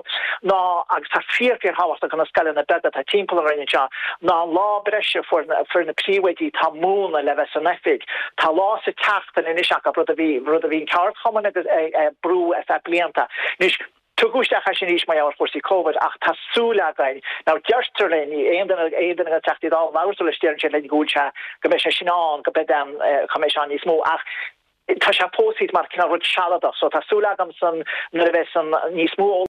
ná agus tá fíor fíor thábhachtach do na scoileanna beaga atá timpeall an Rinn anseo ná an lá breise a fuair fuair na príomhoidí atá ag múineadh le bheith san oifig. Tá lá sa tseachtain anois acu rud a bhí rud a bhí an ceardchumann agus ag ag brú ar feadh blianta. Anois Tugadh isteach é sin arís mar gheall ar chúrsaí Covid ach tá súil againn, now deirtear linn, aon duine aon duine de na Teachtaí Dála a labhair tú leis deireann siad linn go bhfuil sé, go mbeidh sé sin ann, go mbeidh an, go mbeidh sé ann níos mó ach tá sé fós thíos mar cineál rud sealadach so tá súil agam san nuair a bheas an níos mó